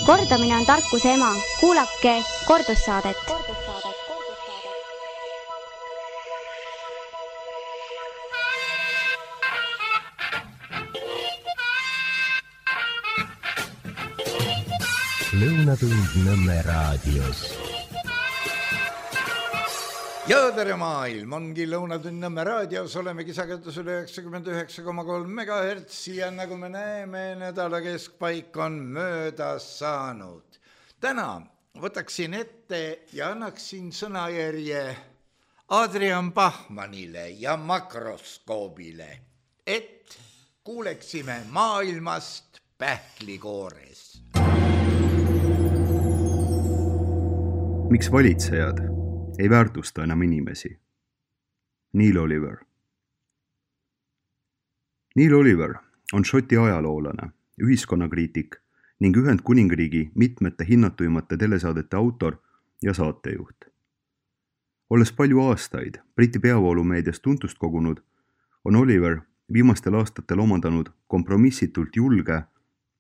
Kordamine on tarkuse ema. Kuulake kordussaadet. Lõunatund Nõmme raadios. Ja tere maailm, ongi Lõunatund Nõmme raadios, olemegi sagedusel 99,3 MHz ja nagu me näeme, nädala keskpaik on möödas saanud. Täna võtaksin ette ja annaksin sõnajärje Adrian Bachmannile ja makroskoobile, et kuuleksime maailmast pähklikoores. Miks valitsejad ei väärtusta enam inimesi? Neil Oliver. Neil Oliver on Šoti ajaloolane, ühiskonnakriitik ning Ühendkuningriigi mitmete hinnatuimate telesaadete autor ja saatejuht. Olles palju aastaid Briti peavoolumeedias tuntust kogunud, on Oliver viimastel aastatel omandanud kompromissitult julge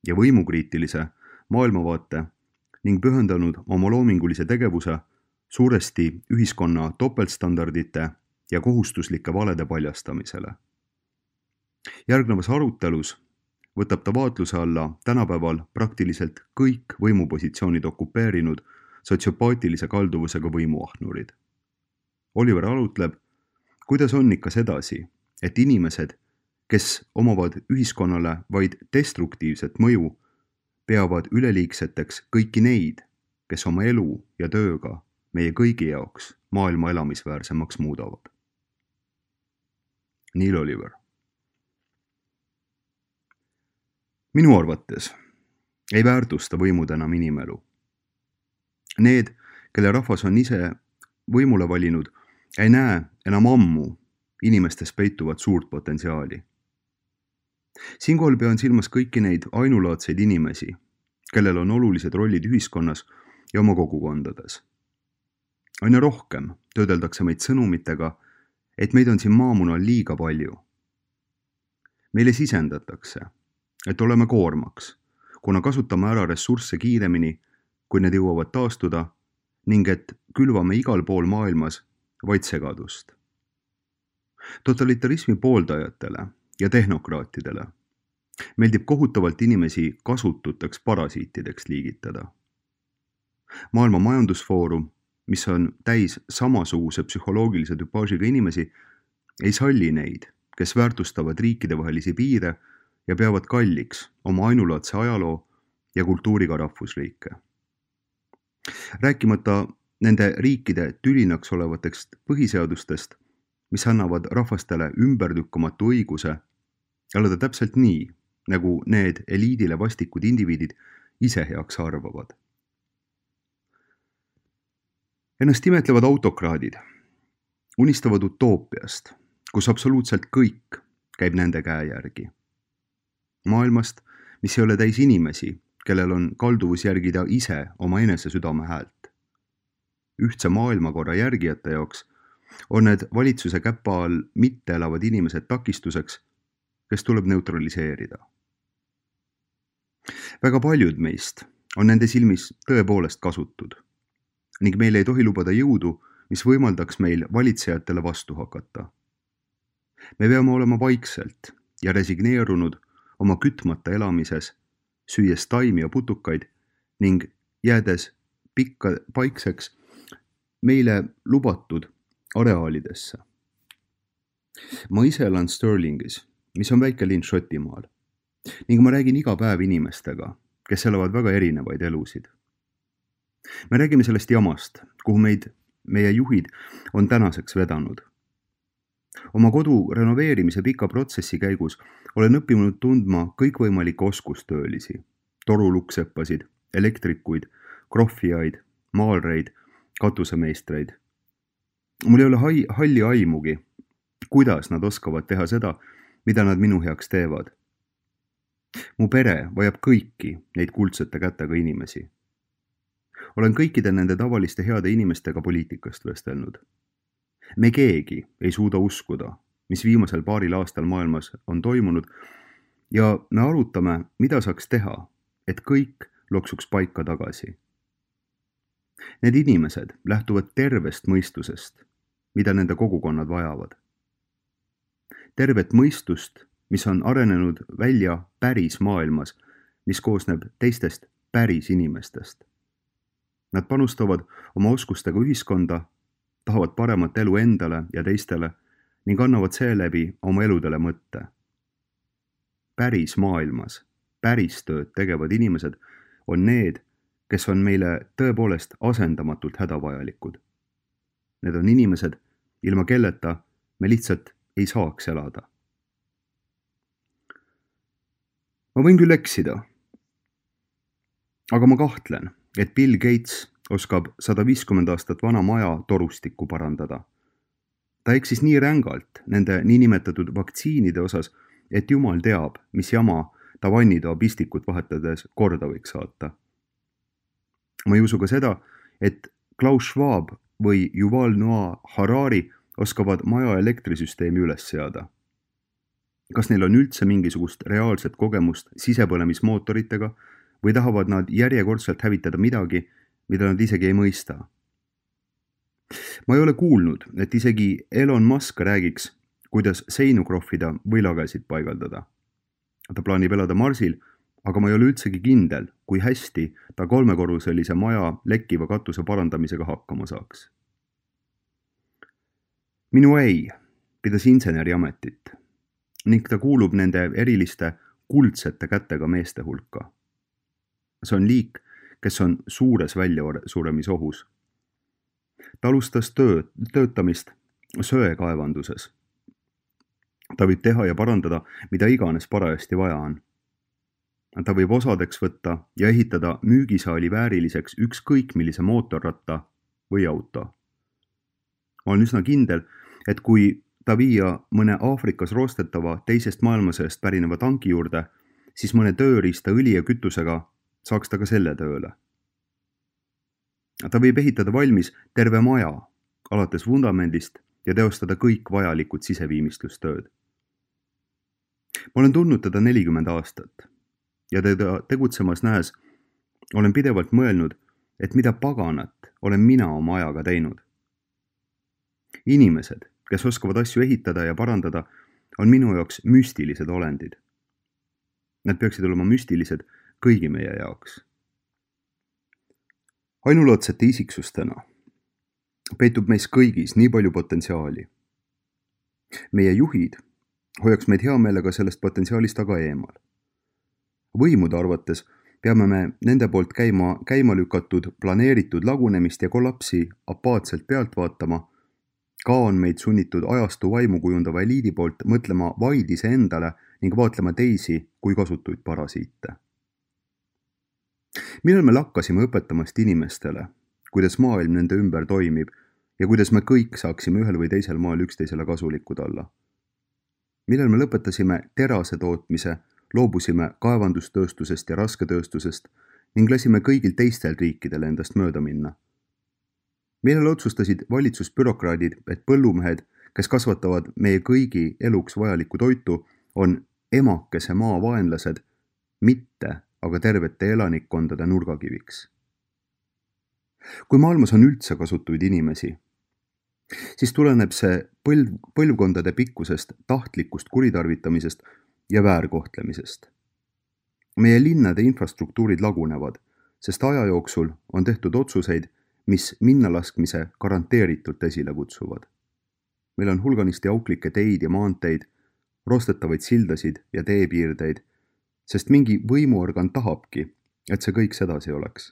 ja võimukriitilise maailmavaate ning pühendanud oma loomingulise tegevuse suuresti ühiskonna topeltstandardite ja kohustuslike valede paljastamisele. Järgnevas arutelus võtab ta vaatluse alla tänapäeval praktiliselt kõik võimupositsioonid okupeerinud sotsiopaatilise kalduvusega võimuahnurid. Oliver arutleb, kuidas on ikka sedasi, et inimesed, kes omavad ühiskonnale vaid destruktiivset mõju, peavad üleliigseteks kõiki neid, kes oma elu ja tööga meie kõigi jaoks maailma elamisväärsemaks muudavad. Neil Oliver. Minu arvates ei väärtusta võimud enam inimelu. Need, kelle rahvas on ise võimule valinud, ei näe enam ammu inimestes peituvat suurt potentsiaali. Siinkohal pean silmas kõiki neid ainulaadseid inimesi, kellel on olulised rollid ühiskonnas ja oma kogukondades. Aina rohkem töödeldakse meid sõnumitega, et meid on siin maamunal liiga palju. Meile sisendatakse, et oleme koormaks, kuna kasutame ära ressursse kiiremini, kui need jõuavad taastuda, ning et külvame igal pool maailmas vaid segadust. Totalitarismi pooldajatele ja tehnokraatidele meeldib kohutavalt inimesi kasututeks parasiitideks liigitada. Maailma Majandusfoorum, mis on täis samasuguse psühholoogilise tüpaažiga inimesi, ei salli neid, kes väärtustavad riikidevahelisi piire ja peavad kalliks oma ainulaadse ajaloo ja kultuuriga rahvusriike. Rääkimata nende riikide tülinaks olevatest põhiseadustest, mis annavad rahvastele ümbertükkamatu õiguse elada täpselt nii, nagu need eliidile vastikud indiviidid ise heaks arvavad. Ennast imetlevad autokraadid unistavad utoopiast, kus absoluutselt kõik käib nende käe järgi. Maailmast, mis ei ole täis inimesi, kellel on kalduvus järgida ise oma enese südame häält. Ühtse maailmakorra järgijate jaoks on need valitsuse käpa all mitte elavad inimesed takistuseks, kes tuleb neutraliseerida. Väga paljud meist on nende silmis tõepoolest kasutud ning meil ei tohi lubada jõudu, mis võimaldaks meil valitsejatele vastu hakata. Me peame olema vaikselt ja resigneerunud oma kütmata elamises, süües taimi ja putukaid ning jäädes paikseks meile lubatud areaalidesse. Ma ise elan Stirlingis, mis on väike linn Šotimaal, ning ma räägin iga päev inimestega, kes elavad väga erinevaid elusid. Me räägime sellest jamast, kuhu meie juhid on tänaseks vedanud. Oma kodu renoveerimise pika protsessi käigus olen õppinud tundma kõikvõimalikke oskustöölisi, torulukseppasid, elektrikuid, krohvijaid, maalreid, katusemeistreid. Mul ei ole halli aimugi, kuidas nad oskavad teha seda, mida nad minu heaks teevad. Mu pere vajab kõiki neid kuldsete kätega inimesi. Olen kõikide nende tavaliste heade inimestega poliitikast vestelnud. Me keegi ei suuda uskuda, mis viimasel paaril aastal maailmas on toimunud ja me arutame, mida saaks teha, et kõik loksuks paika tagasi. Need inimesed lähtuvad tervest mõistusest, mida nende kogukonnad vajavad. Tervet mõistust, mis on arenenud välja päris maailmas, mis koosneb teistest päris inimestest. Nad panustavad oma oskustega ühiskonda, tahavad paremat elu endale ja teistele ning annavad seeläbi oma eludele mõtte. Päris maailmas, päris tööd tegevad inimesed on need, kes on meile tõepoolest asendamatult hädavajalikud. Need on inimesed, ilma kelleta me lihtsalt ei saaks elada. Ma võin küll eksida, aga ma kahtlen, et Bill Gates oskab 150 aastat vana maja torustikku parandada. Ta eksis nii rängalt nende niinimetatud vaktsiinide osas, et jumal teab, mis jama ta vannitoa pistikut vahetades korda võiks saata. Ma ei usu ka seda, et Klaus Schwab või Yuval Noah Harari oskavad maja elektrisüsteemi üles seada. Kas neil on üldse mingisugust reaalset kogemust sisepõlemismootoritega või tahavad nad järjekordselt hävitada midagi, mida nad isegi ei mõista? Ma ei ole kuulnud, et isegi Elon Musk räägiks, kuidas seinu krohvida või lagesid paigaldada. Ta plaanib elada Marsil, aga ma ei ole üldsegi kindel, kui hästi ta 3-korruselise maja lekkiva katuse parandamisega hakkama saaks. Minu ei pidas inseneriametit ning ta kuulub nende eriliste kuldsete kätega meeste hulka. See on liik, kes on suures väljasuremisohus. Ta alustas töötamist söekaevanduses. Ta võib teha ja parandada, mida iganes parajasti vaja on. Ta võib osadeks võtta ja ehitada müügisaali vääriliseks ükskõik millise mootorratta või auto. Ma olen üsna kindel, et kui ta viia mõne Aafrikas roostetava teisest maailmasõjast pärineva tanki juurde, siis mõne tööriista õli ja kütusega saaks ta ka selle tööle. Ta võib ehitada valmis terve maja, alates vundamendist ja teostada kõik vajalikud siseviimistlustööd. Ma olen tundnud teda 40 aastat ja teda tegutsemas nähes olen pidevalt mõelnud, et mida paganat olen mina oma ajaga teinud. Inimesed, kes oskavad asju ehitada ja parandada, on minu jaoks müstilised olendid. Nad peaksid olema müstilised kõigi meie jaoks. Ainulaadsete isiksustena peitub meis kõigis nii palju potentsiaali. Meie juhid hoiaks meid hea meelega sellest potentsiaalist aga eemal. Võimude arvates peame me nende poolt käima lükatud planeeritud lagunemist ja kollapsi apaatselt pealt vaatama, ka on meid sunnitud ajastu vaimu kujundava eliidi poolt mõtlema vaid iseendale ning vaatlema teisi kui kasutuid parasiite. Millal me lakkasime õpetamast inimestele, kuidas maailm nende ümber toimib ja kuidas me kõik saaksime ühel või teisel maal üksteisele kasulikud olla? Millal me lõpetasime terase tootmise, loobusime kaevandustööstusest ja rasketööstusest ning lasime kõigil teistel riikidele endast mööda minna? Millal otsustasid valitsusbürokraadid, et põllumehed, kes kasvatavad meie kõigi eluks vajalikku toitu, on emakese maa vaenlased, mitte aga tervete elanikkondade nurgakiviks? Kui maailmas on üldse kasutuid inimesi, siis tuleneb see põlvkondade pikkusest tahtlikust kuritarvitamisest ja väärkohtlemisest. Meie linnade infrastruktuurid lagunevad, sest aja jooksul on tehtud otsuseid, mis minnalaskmise garanteeritult esile kutsuvad. Meil on hulganisti auklikke teid ja maanteid, roostetavaid sildasid ja teepiirdeid, sest mingi võimuorgan tahabki, et see kõik sedasi oleks.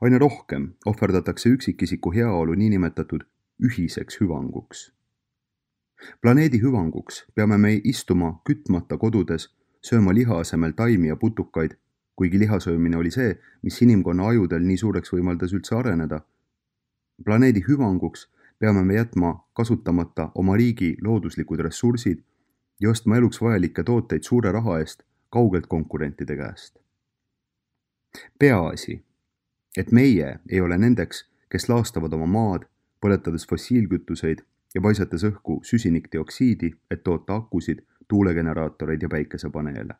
Aina rohkem ohverdatakse üksikisiku heaolu niinimetatud ühiseks hüvanguks. Planeedi hüvanguks peame me istuma kütmata kodudes, sööma liha asemel taimi ja putukaid, kuigi lihasöömine oli see, mis inimkonna ajudel nii suureks võimaldas üldse areneda. Planeedi hüvanguks peame me jätma kasutamata oma riigi looduslikud ressursid ja ostma eluks vajalikke tooteid suure raha eest kaugelt konkurentide käest. Peaasi, et meie ei ole nendeks, kes laastavad oma maad, põletades fossiilkütuseid ja paisates õhku süsinikdioksiidi, et toota akusid, tuulegeneraatoreid ja päikesepaneele.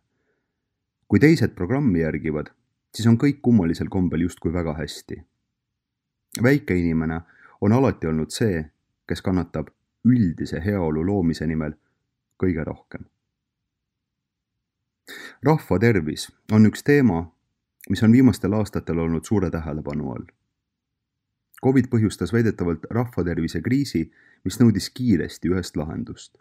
Kui teised programmi järgivad, siis on kõik kummalisel kombel justkui väga hästi. Väike inimene on alati olnud see, kes kannatab üldise heaolu loomise nimel kõige rohkem. Rahva tervis on üks teema, mis on viimastel aastatel olnud suure tähelepanu all. COVID põhjustas väidetavalt rahvatervise kriisi, mis nõudis kiiresti ühest lahendust.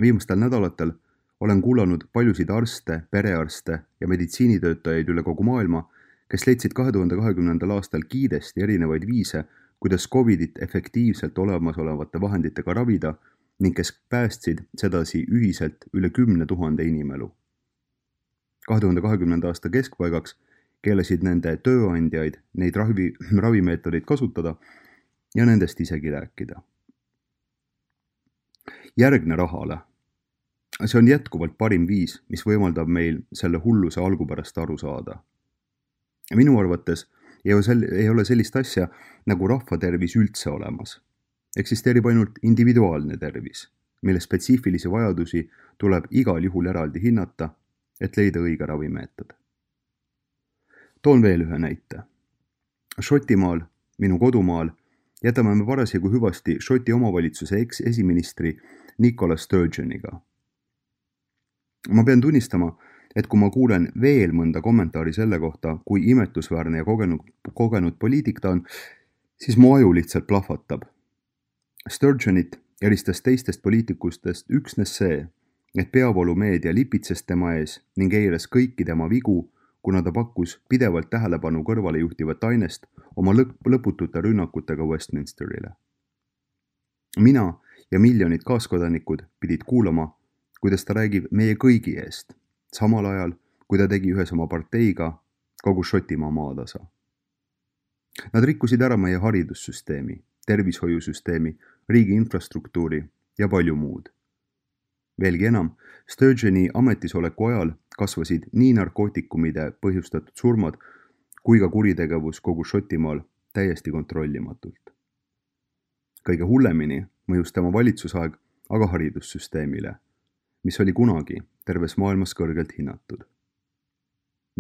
Viimastel nädalatel olen kuulanud paljusid arste, perearste ja meditsiinitöötajaid üle kogu maailma, kes leidsid 2020. aastal kiiresti erinevaid viise, kuidas COVIDit efektiivselt olemasolevate vahenditega ravida ning kes päästsid sedasi ühiselt üle 10 000 inimelu. 2020. aasta keskpaigaks keelasid nende tööandjaid neid ravimeetodeid kasutada ja nendest isegi rääkida. Järgne rahale. See on jätkuvalt parim viis, mis võimaldab meil selle hulluse algupärast aru saada. Minu arvates ei ole sellist asja nagu rahvatervis üldse olemas. Eksisteerib ainult individuaalne tervis, mille spetsiifilisi vajadusi tuleb igal juhul eraldi hinnata, et leida õige ravimeetod. Toon veel ühe näite. Šotimaal, minu kodumaal, jätame me parasjagu hüvasti Šoti omavalitsuse esiministri Nicola Sturgeoniga. Ma pean tunnistama, et kui ma kuulen veel mõnda kommentaari selle kohta, kui imetusväärne ja kogenud poliitik ta on, siis mu aju lihtsalt plahvatab. Sturgeonit eristas teistest poliitikustest üksnes see, et peavoolumeedia lipitses tema ees ning eiras kõiki tema vigu, kuna ta pakkus pidevalt tähelepanu kõrvale juhtivat ainest oma lõputute rünnakutega Westminsterile. Mina ja miljonid kaaskodanikud pidid kuulama, kuidas ta räägib meie kõigi eest, samal ajal, kui ta tegi ühes oma parteiga kogu Šotimaa maatasa. Nad rikkusid ära meie haridussüsteemi, tervishoiusüsteemi, riigi infrastruktuuri ja palju muud. Veelgi enam, Sturgeoni ametisoleku ajal kasvasid nii narkootikumide põhjustatud surmad kui ka kuritegevus kogu Šotimaal täiesti kontrollimatult. Kõige hullemini mõjus tema valitsusaeg aga haridussüsteemile, mis oli kunagi terves maailmas kõrgelt hinnatud.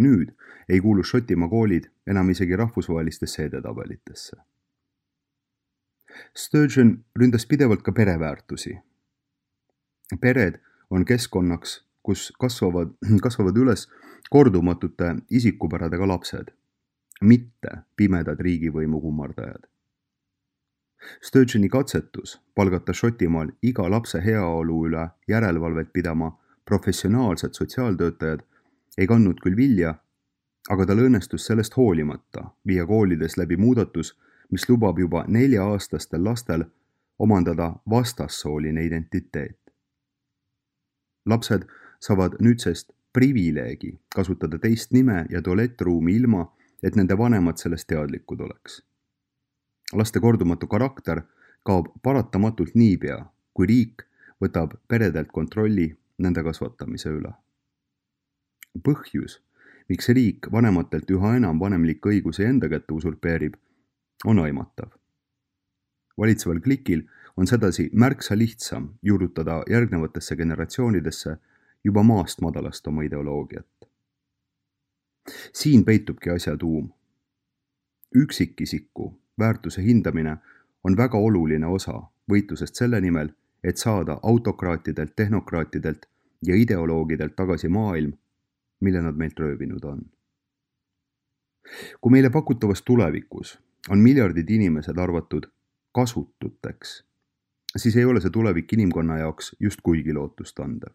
Nüüd ei kuulu Šotimaa koolid enam isegi rahvusvahelistesse edetabelitesse. Sturgeon ründas pidevalt ka pereväärtusi. Pered on keskkonnaks, kus kasvavad üles kordumatute isikupäradega lapsed, mitte pimedad riigivõimu kummardajad. Sturgeoni katsetus palgata Šotimaal iga lapse heaolu üle järelevalvet pidama professionaalsed sotsiaaltöötajad ei kandnud küll vilja, aga tal õnnestus sellest hoolimata viia koolides läbi muudatus, mis lubab juba 4-aastastel lastel omandada vastassooline identiteet. Lapsed saavad nüüdsest privileegi kasutada teist nime ja tualettruumi ilma, et nende vanemad sellest teadlikud oleks. Laste kordumatu karakter kaob paratamatult niipea, kui riik võtab peredelt kontrolli nende kasvatamise üle. Põhjus, miks riik vanematelt üha enam vanemlikke õigusi enda kätte usurpeerib, on aimatav. Valitseval klikil on sedasi märksa lihtsam juurutada järgnevatesse generatsioonidesse juba maast madalast oma ideoloogiat. Siin peitubki asja tuum. Üksikisiku väärtuse hindamine on väga oluline osa võitlusest selle nimel, et saada autokraatidelt, tehnokraatidelt ja ideoloogidelt tagasi maailm, mille nad meilt röövinud on. Kui meile pakutavas tulevikus on miljardid inimesed arvatud kasututeks, siis ei ole see tulevik inimkonna jaoks just kuigi lootustandev.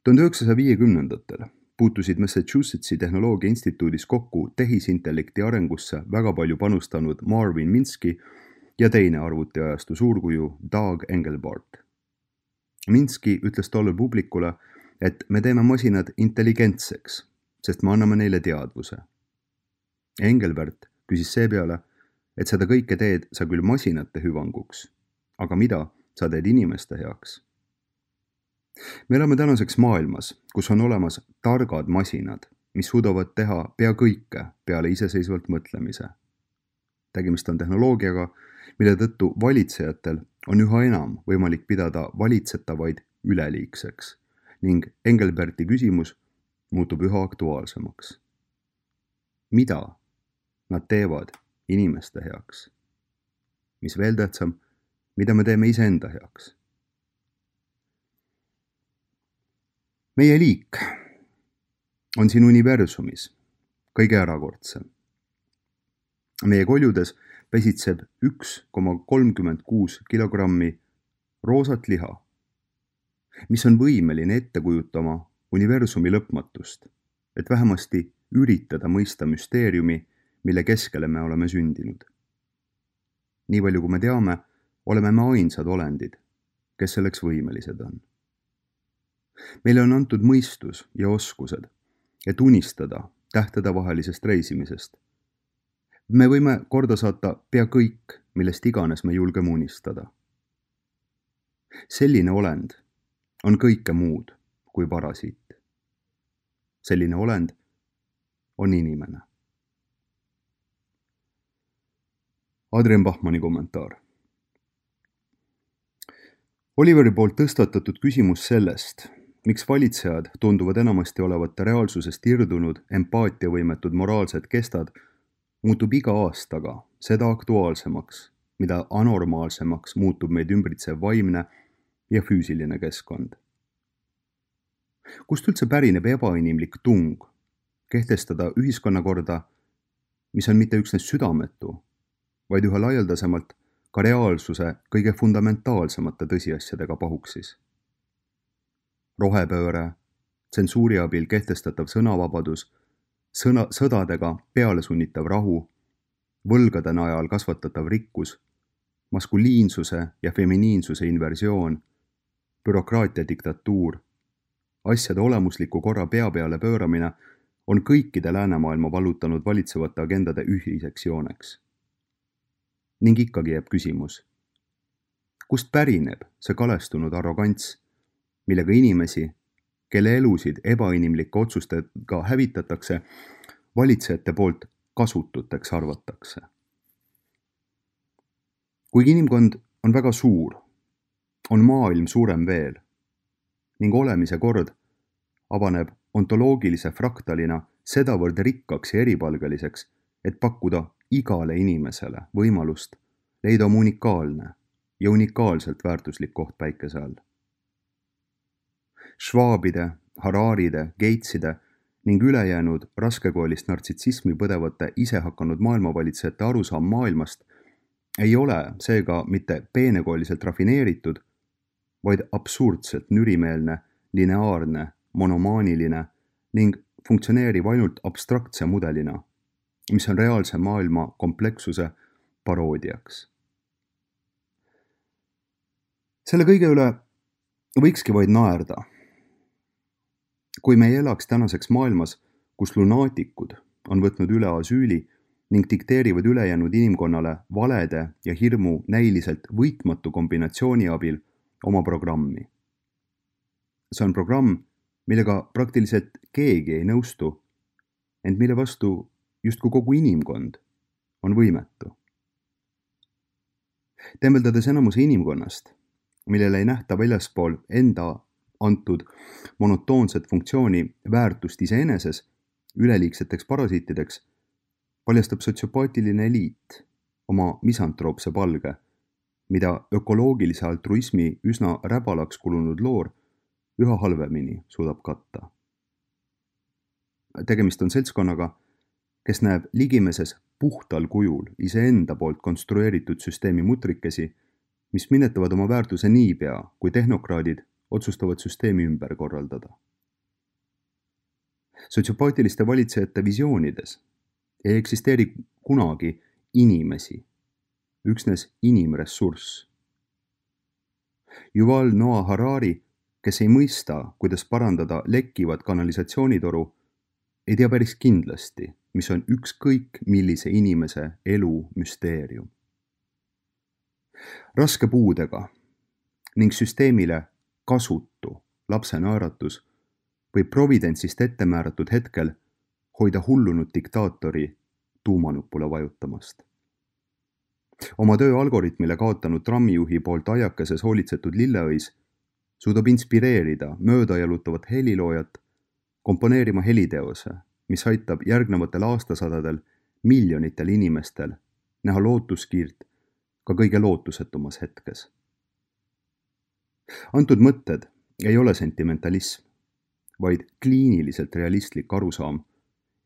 1950-ndatel puutusid Massachusettsi Tehnoloogia Instituudis kokku tehisintellekti arengusse väga palju panustanud Marvin Minsky ja teine arvutiajastu suurkuju Doug Engelbart. Minsky ütles tollel publikule, et me teeme masinad intelligentseks, sest me anname neile teadvuse. Engelbart küsis seepeale, et seda kõike teed sa küll masinate hüvanguks, aga mida sa teed inimeste heaks? Me elame tänaseks maailmas, kus on olemas targad masinad, mis suudavad teha pea kõike peale iseseisvalt mõtlemise. Tegemist on tehnoloogiaga, mille tõttu valitsejatel on üha enam võimalik pidada valitsetavaid üleliigseks ning Engelberti küsimus, muutub üha aktuaalsemaks. Mida nad teevad inimeste heaks? Mis veel tähtsam, mida me teeme iseenda heaks? Meie liik on siin universumis kõige erakordsem. Meie koljudes pesitseb 1,36 kilogrammi roosat liha, mis on võimeline ette kujutama universumi lõpmatust, et vähemasti üritada mõista müsteeriumi, mille keskele me oleme sündinud. Nii palju kui me teame, oleme me ainsad olendid, kes selleks võimelised on. Meile on antud mõistus ja oskused, et unistada tähtedevahelisest reisimisest. Me võime korda saata pea kõik, millest iganes me julgeme unistada. Selline olend on kõike muud kui parasiit. Selline olend on inimene. Adrian Bachmanni kommentaar. Oliveri poolt tõstatatud küsimus sellest, miks valitsejad tunduvad enamasti olevat reaalsusest irdunud, empaatiavõimetud moraalsed kestad, muutub iga aastaga seda aktuaalsemaks, mida anormaalsemaks muutub meid ümbritsev vaimne ja füüsiline keskkond. Kust üldse pärineb ebainimlik tung kehtestada ühiskonnakorda, mis on mitte üksnes südametu, vaid üha laialdasemalt ka reaalsuse kõige fundamentaalsemate tõsiasjadega pahuksis. Rohepööre, tsensuuri abil kehtestatav sõnavabadus, sõdadega pealesunnitav rahu, võlgade najal kasvatatav rikkus, maskuliinsuse ja feminiinsuse inversioon, bürokraatia diktatuur, asjade olemusliku korra pea peale pööramine on kõikide läänemaailma vallutanud valitsevate agendade ühiseks jooneks. Ning ikkagi jääb küsimus, kust pärineb see kalestunud arrogants, millega inimesi, kelle elusid ebainimlike otsustega hävitatakse, valitsejate poolt kasututeks arvatakse. Kuigi inimkond on väga suur, on maailm suurem veel ning olemise kord avaneb ontoloogilise fraktalina sedavõrd rikkaks ja eripalgeliseks, et pakkuda igale inimesele võimalust leida oma unikaalne ja unikaalselt väärtuslik koht päikese all. Schwabide, Hararide, Gateside ning ülejäänud raskekoolist nartsissismi põdevate isehakanud maailmavalitsejate arusaam maailmast ei ole seega mitte peenekooliselt rafineeritud, vaid absurdselt nürimeelne, lineaarne, monomaaniline ning funktsioneerib ainult abstraktse mudelina, mis on reaalse maailma komplekssuse paroodiaks. Selle kõige üle võikski vaid naerda. Kui me ei elaks tänaseks maailmas, kus lunaatikud on võtnud üle asüüli ning dikteerivad ülejäänud inimkonnale valede ja hirmu näiliselt võitmatu kombinatsiooni abil oma programmi. See on programm, millega praktiliselt keegi ei nõustu, ent mille vastu justkui kogu inimkond on võimetu. Tembeldades enamuse inimkonnast, millele ei nähta väljaspool enda antud monotoonset funktsiooni väärtust iseeneses üleliigseteks parasiitideks, paljastab sotsiopaatiline eliit oma misantroopse palge, mida ökoloogilise altruismi üsna räbalaks kulunud loor üha halvemini suudab katta. Tegemist on seltskonnaga, kes näeb ligimeses puhtal kujul iseenda poolt konstrueeritud süsteemi mutrikesi, mis minetavad oma väärtuse niipea, kui tehnokraadid otsustavad süsteemi ümber korraldada. Sotsiopaatiliste valitsejate visioonides ei eksisteeri kunagi inimesi, üksnes inimressurss. Yuval Noah Harari, kes ei mõista, kuidas parandada lekkivat kanalisatsioonitoru, ei tea päris kindlasti, mis on ükskõik millise inimese elu müsteerium. Raske puudega ning süsteemile kasutu lapse naeratus võib providentsist ette määratud hetkel hoida hullunud diktaatori tuumanupule vajutamast. Oma töö algoritmile kaotanud trammijuhi poolt aiakeses hoolitsetud lilleõis suudab inspireerida mööda jalutavat heliloojat komponeerima heliteose, mis aitab järgnevatel aastasadadel miljonitel inimestel näha lootuskiirt ka kõige lootusetumas hetkes. Antud mõtted ei ole sentimentalism, vaid kliiniliselt realistlik arusaam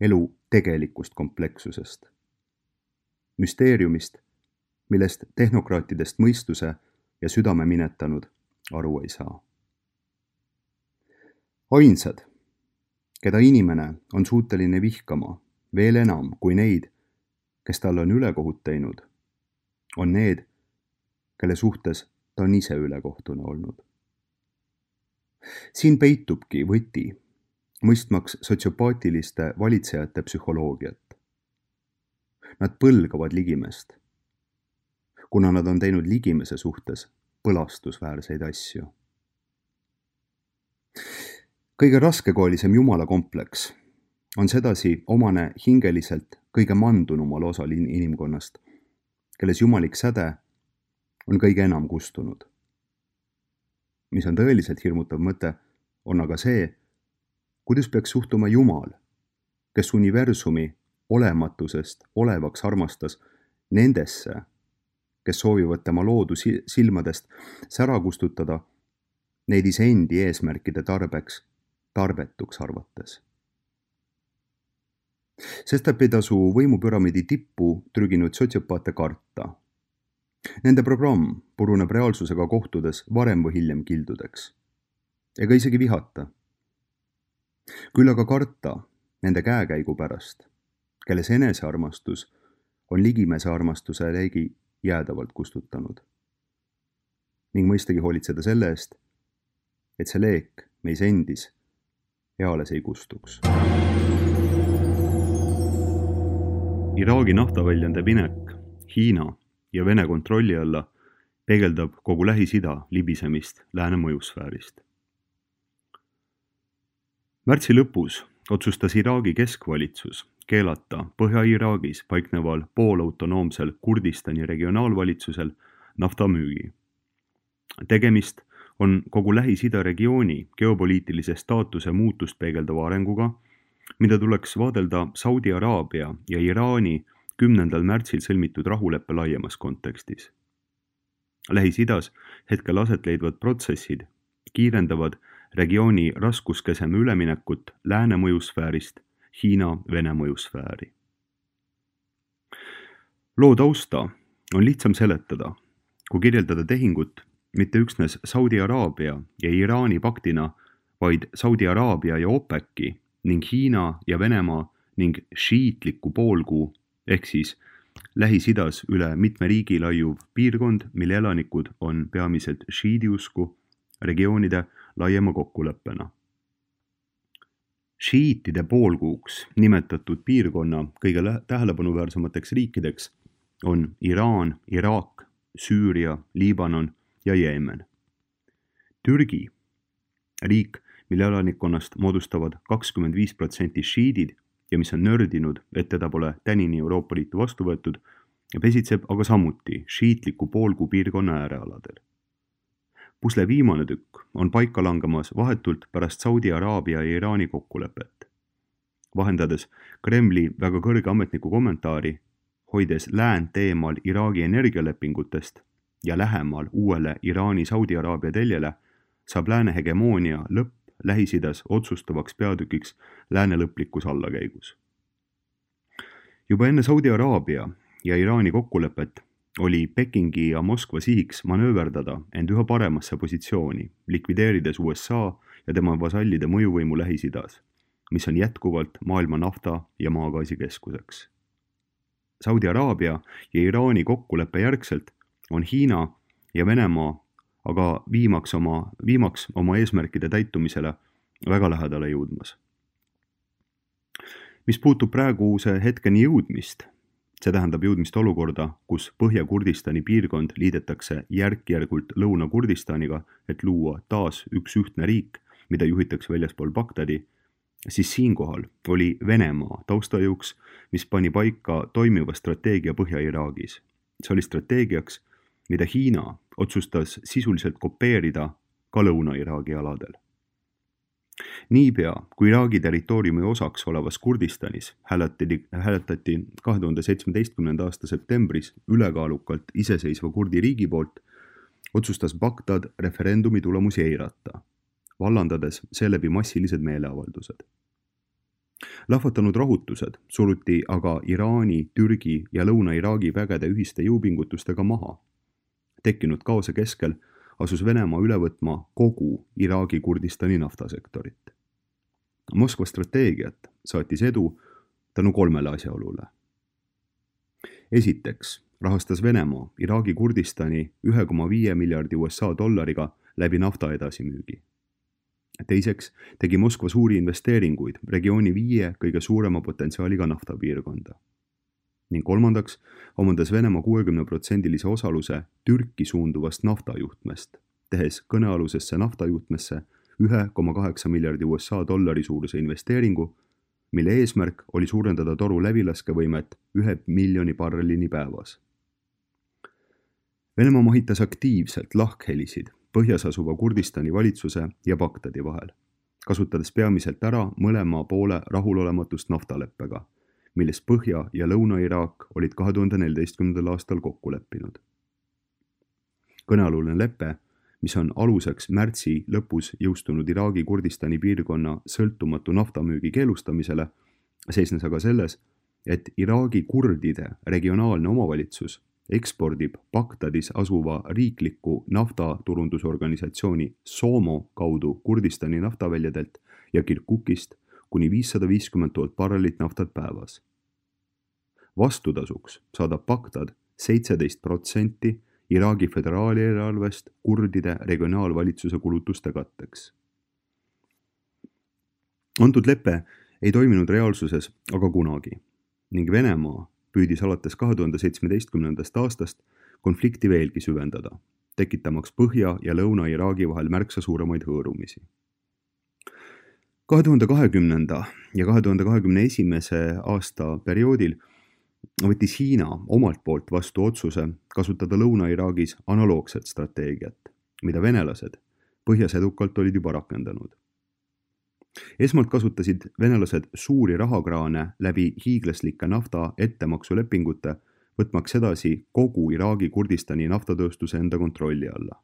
elu tegelikust komplekssusest. Müsteeriumist, millest tehnokraatidest mõistuse ja südame minetanud aru ei saa. Ainsad, keda inimene on suuteline vihkama veel enam kui neid, kes talle on ülekohut teinud, on need, kelle suhtes ta on ise ülekohtune olnud. Siin peitubki võti, mõistmaks sotsiopaatiliste valitsejate psühholoogiat. Nad põlgavad ligimest, kuna nad on teinud ligimese suhtes põlastusväärseid asju. Kõige raskekoolisem jumalakompleks on sedasi omane hingeliselt kõige mandunumal osal inimkonnast, kelles jumalik säde on kõige enam kustunud. Mis on tõeliselt hirmutav mõte, on aga see, kuidas peaks suhtuma Jumal, kes universumi olematusest olevaks armastas nendesse, kes soovivad tema loodu silmadest sära kustutada, neid iseendi eesmärkide tarbetuks arvates. Sestap ei tasu võimupüramiidi tippu trüginud sotsiopaate karta. Nende programm puruneb reaalsusega kohtudes varem või hiljem kildudeks. Ega isegi vihata. Küll aga karta nende käekäigu pärast, kelles enesearmastus on ligimese armastuse leegi jäädavalt kustutanud. Ning mõistagi hoolitseda selle eest, et see leek meis endis eales ei kustuks. Iraagi naftaväljande minek Hiina ja Vene kontrolli alla peegeldab kogu Lähis-Ida libisemist lääne mõjusfäärist. Märtsi lõpus otsustas Iraagi keskvalitsus keelata Põhja-Iraagis paikneval poolautonoomsel Kurdistani regionaalvalitsusel naftamüügi. Tegemist on kogu Lähis-Ida regiooni geopoliitilise staatuse muutust peegeldava arenguga, mida tuleks vaadelda Saudi Araabia ja Iraani 10. märtsil sõlmitud rahuleppe laiemas kontekstis. Lähis-Idas hetkel aset leidvad protsessid kiirendavad regiooni raskuskeseme üleminekut lääne mõjusfäärist Hiina-Vene mõjusfääri. Loo tausta on lihtsam seletada, kui kirjeldada tehingut mitte üksnes Saudi Araabia ja Iraani paktina, vaid Saudi Araabia ja OPEC-i ning Hiina ja Venemaa ning šiitliku poolkuu ehk siis Lähis-Idas üle mitme riigi laiuv piirkond, mille elanikud on peamiselt šiidiusku regioonide laiema kokkuleppena. Šiitide poolkuuks nimetatud piirkonna kõige tähelepanuväärsemateks riikideks on Iraan, Iraak, Süüria, Liibanon ja Jeemen. Türgi, riik, mille elanikkonnast moodustavad 25% šiidid ja mis on nördinud, et teda pole tänini Euroopa Liitu vastu võetud, pesitseb aga samuti šiitliku poolkuu piirkonna äärealadel. Pusle viimane tükk on paika langemas vahetult pärast Saudi Araabia ja Iraani kokkulepet. Vahendades Kremli väga kõrge ametniku kommentaari, hoides läänt eemal Iraagi energialepingutest ja lähemal uuele Iraani-Saudi Araabia teljele, saab lääne hegemoonia lõpp Lähis-Idas otsustavaks peatükiks lääne lõplikus allakäigus. Juba enne Saudi Araabia ja Iraani kokkulepet oli Pekingi ja Moskva sihiks manööverdada end üha paremasse positsiooni, likvideerides USA ja tema vasallide mõjuvõimu Lähis-Idas, mis on jätkuvalt maailma nafta- ja maagaasi keskuseks. Saudi Araabia ja Iraani kokkuleppe järgselt on Hiina ja Venemaa aga viimaks oma eesmärkide täitumisele väga lähedale jõudmas. Mis puutub praeguse hetkeni jõudmist, see tähendab jõudmist olukorda, kus Põhja-Kurdistani piirkond liidetakse järk-järgult Lõuna-Kurdistaniga, et luua taas üks ühtne riik, mida juhitakse väljaspool Bagdadi, siis siinkohal oli Venemaa taustajõuks, mis pani paika toimiva strateegia Põhja-Iraagis. See oli strateegiaks, mida Hiina otsustas sisuliselt kopeerida ka Lõuna-Iraagi aladel. Niipea, kui Iraagi territooriumi osaks olevas Kurdistanis hääletati 2017. aasta septembris ülekaalukalt iseseisva kurdi riigi poolt, otsustas Bagdad referendumi tulemusi eirata, vallandades seeläbi massilised meeleavaldused. Lahvatanud rahutused suruti aga Iraani, Türgi ja Lõuna-Iraagi vägede ühiste jõupingutustega maha. Tekkinud kaose keskel asus Venemaa üle võtma kogu Iraagi Kurdistani naftasektorit. Moskva strateegiat saatis edu tänu 3 asjaolule. Esiteks rahastas Venemaa Iraagi Kurdistani 1,5 miljardi USA dollariga läbi nafta edasimüügi. Teiseks tegi Moskva suuri investeeringuid regiooni 5 kõige suurema potentsiaaliga naftapiirkonda. Ning kolmandaks omandas Venemaa 60% osaluse Türki suunduvast naftajuhtmest, tehes kõnealusesse naftajuhtmesse 1,8 miljardi USA dollari suuruse investeeringu, mille eesmärk oli suurendada toru läbilaskevõimet 1 miljoni barrelini päevas. Venemaa mahitas aktiivselt lahkhelisid põhjas asuva Kurdistani valitsuse ja Bagdadi vahel, kasutades peamiselt ära mõlema poole rahulolematust naftaleppega, milles Põhja- ja Lõuna-Iraak olid 2014. aastal kokku leppinud. Kõnealune lepe, mis on aluseks märtsi lõpus jõustunud Iraagi Kurdistani piirkonna sõltumatu naftamüügi keelustamisele, seisnes aga selles, et Iraagi kurdide regionaalne omavalitsus ekspordib Bagdadis asuva riikliku naftaturundusorganisatsiooni SOMO kaudu Kurdistani naftaväljadelt ja Kirkukist kuni 550 000 barrelit naftat päevas. Vastutasuks saadab Bagdad 17% Iraagi föderaalieelarvest kurdide regionaalvalitsuse kulutuste katteks. Antud lepe ei toiminud reaalsuses aga kunagi ning Venemaa püüdis alates 2017. aastast konflikti veelgi süvendada, tekitamaks Põhja- ja Lõuna-Iraagi vahel märksa suuremaid hõõrumisi. 2020. ja 2021. aasta perioodil võttis Hiina omalt poolt vastu otsuse kasutada Lõuna-Iraagis analoogset strateegiat, mida venelased põhjas edukalt olid juba rakendanud. Esmalt kasutasid venelased suuri rahakraane läbi hiiglaslike nafta ettemaksulepingute, võtmaks edasi kogu Iraagi Kurdistani naftatööstuse enda kontrolli alla.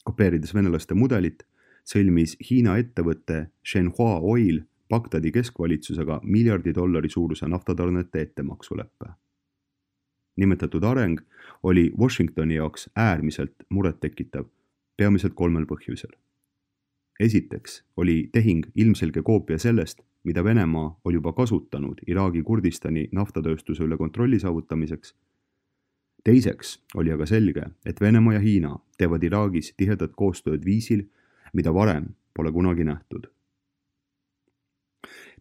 Kopeerides venelaste mudelit, sõlmis Hiina ettevõtte Shenhua Oil Bagdadi keskvalitsusega miljardi dollari suuruse naftatarnete ettemaksuleppe. Nimetatud areng oli Washingtoni jaoks äärmiselt murettekitav, peamiselt 3 põhjusel. Esiteks oli tehing ilmselge koopia sellest, mida Venemaa oli juba kasutanud Iraagi Kurdistani naftatööstuse üle kontrolli saavutamiseks. Teiseks oli aga selge, et Venemaa ja Hiina teevad Iraagis tihedat koostööd viisil, mida varem pole kunagi nähtud.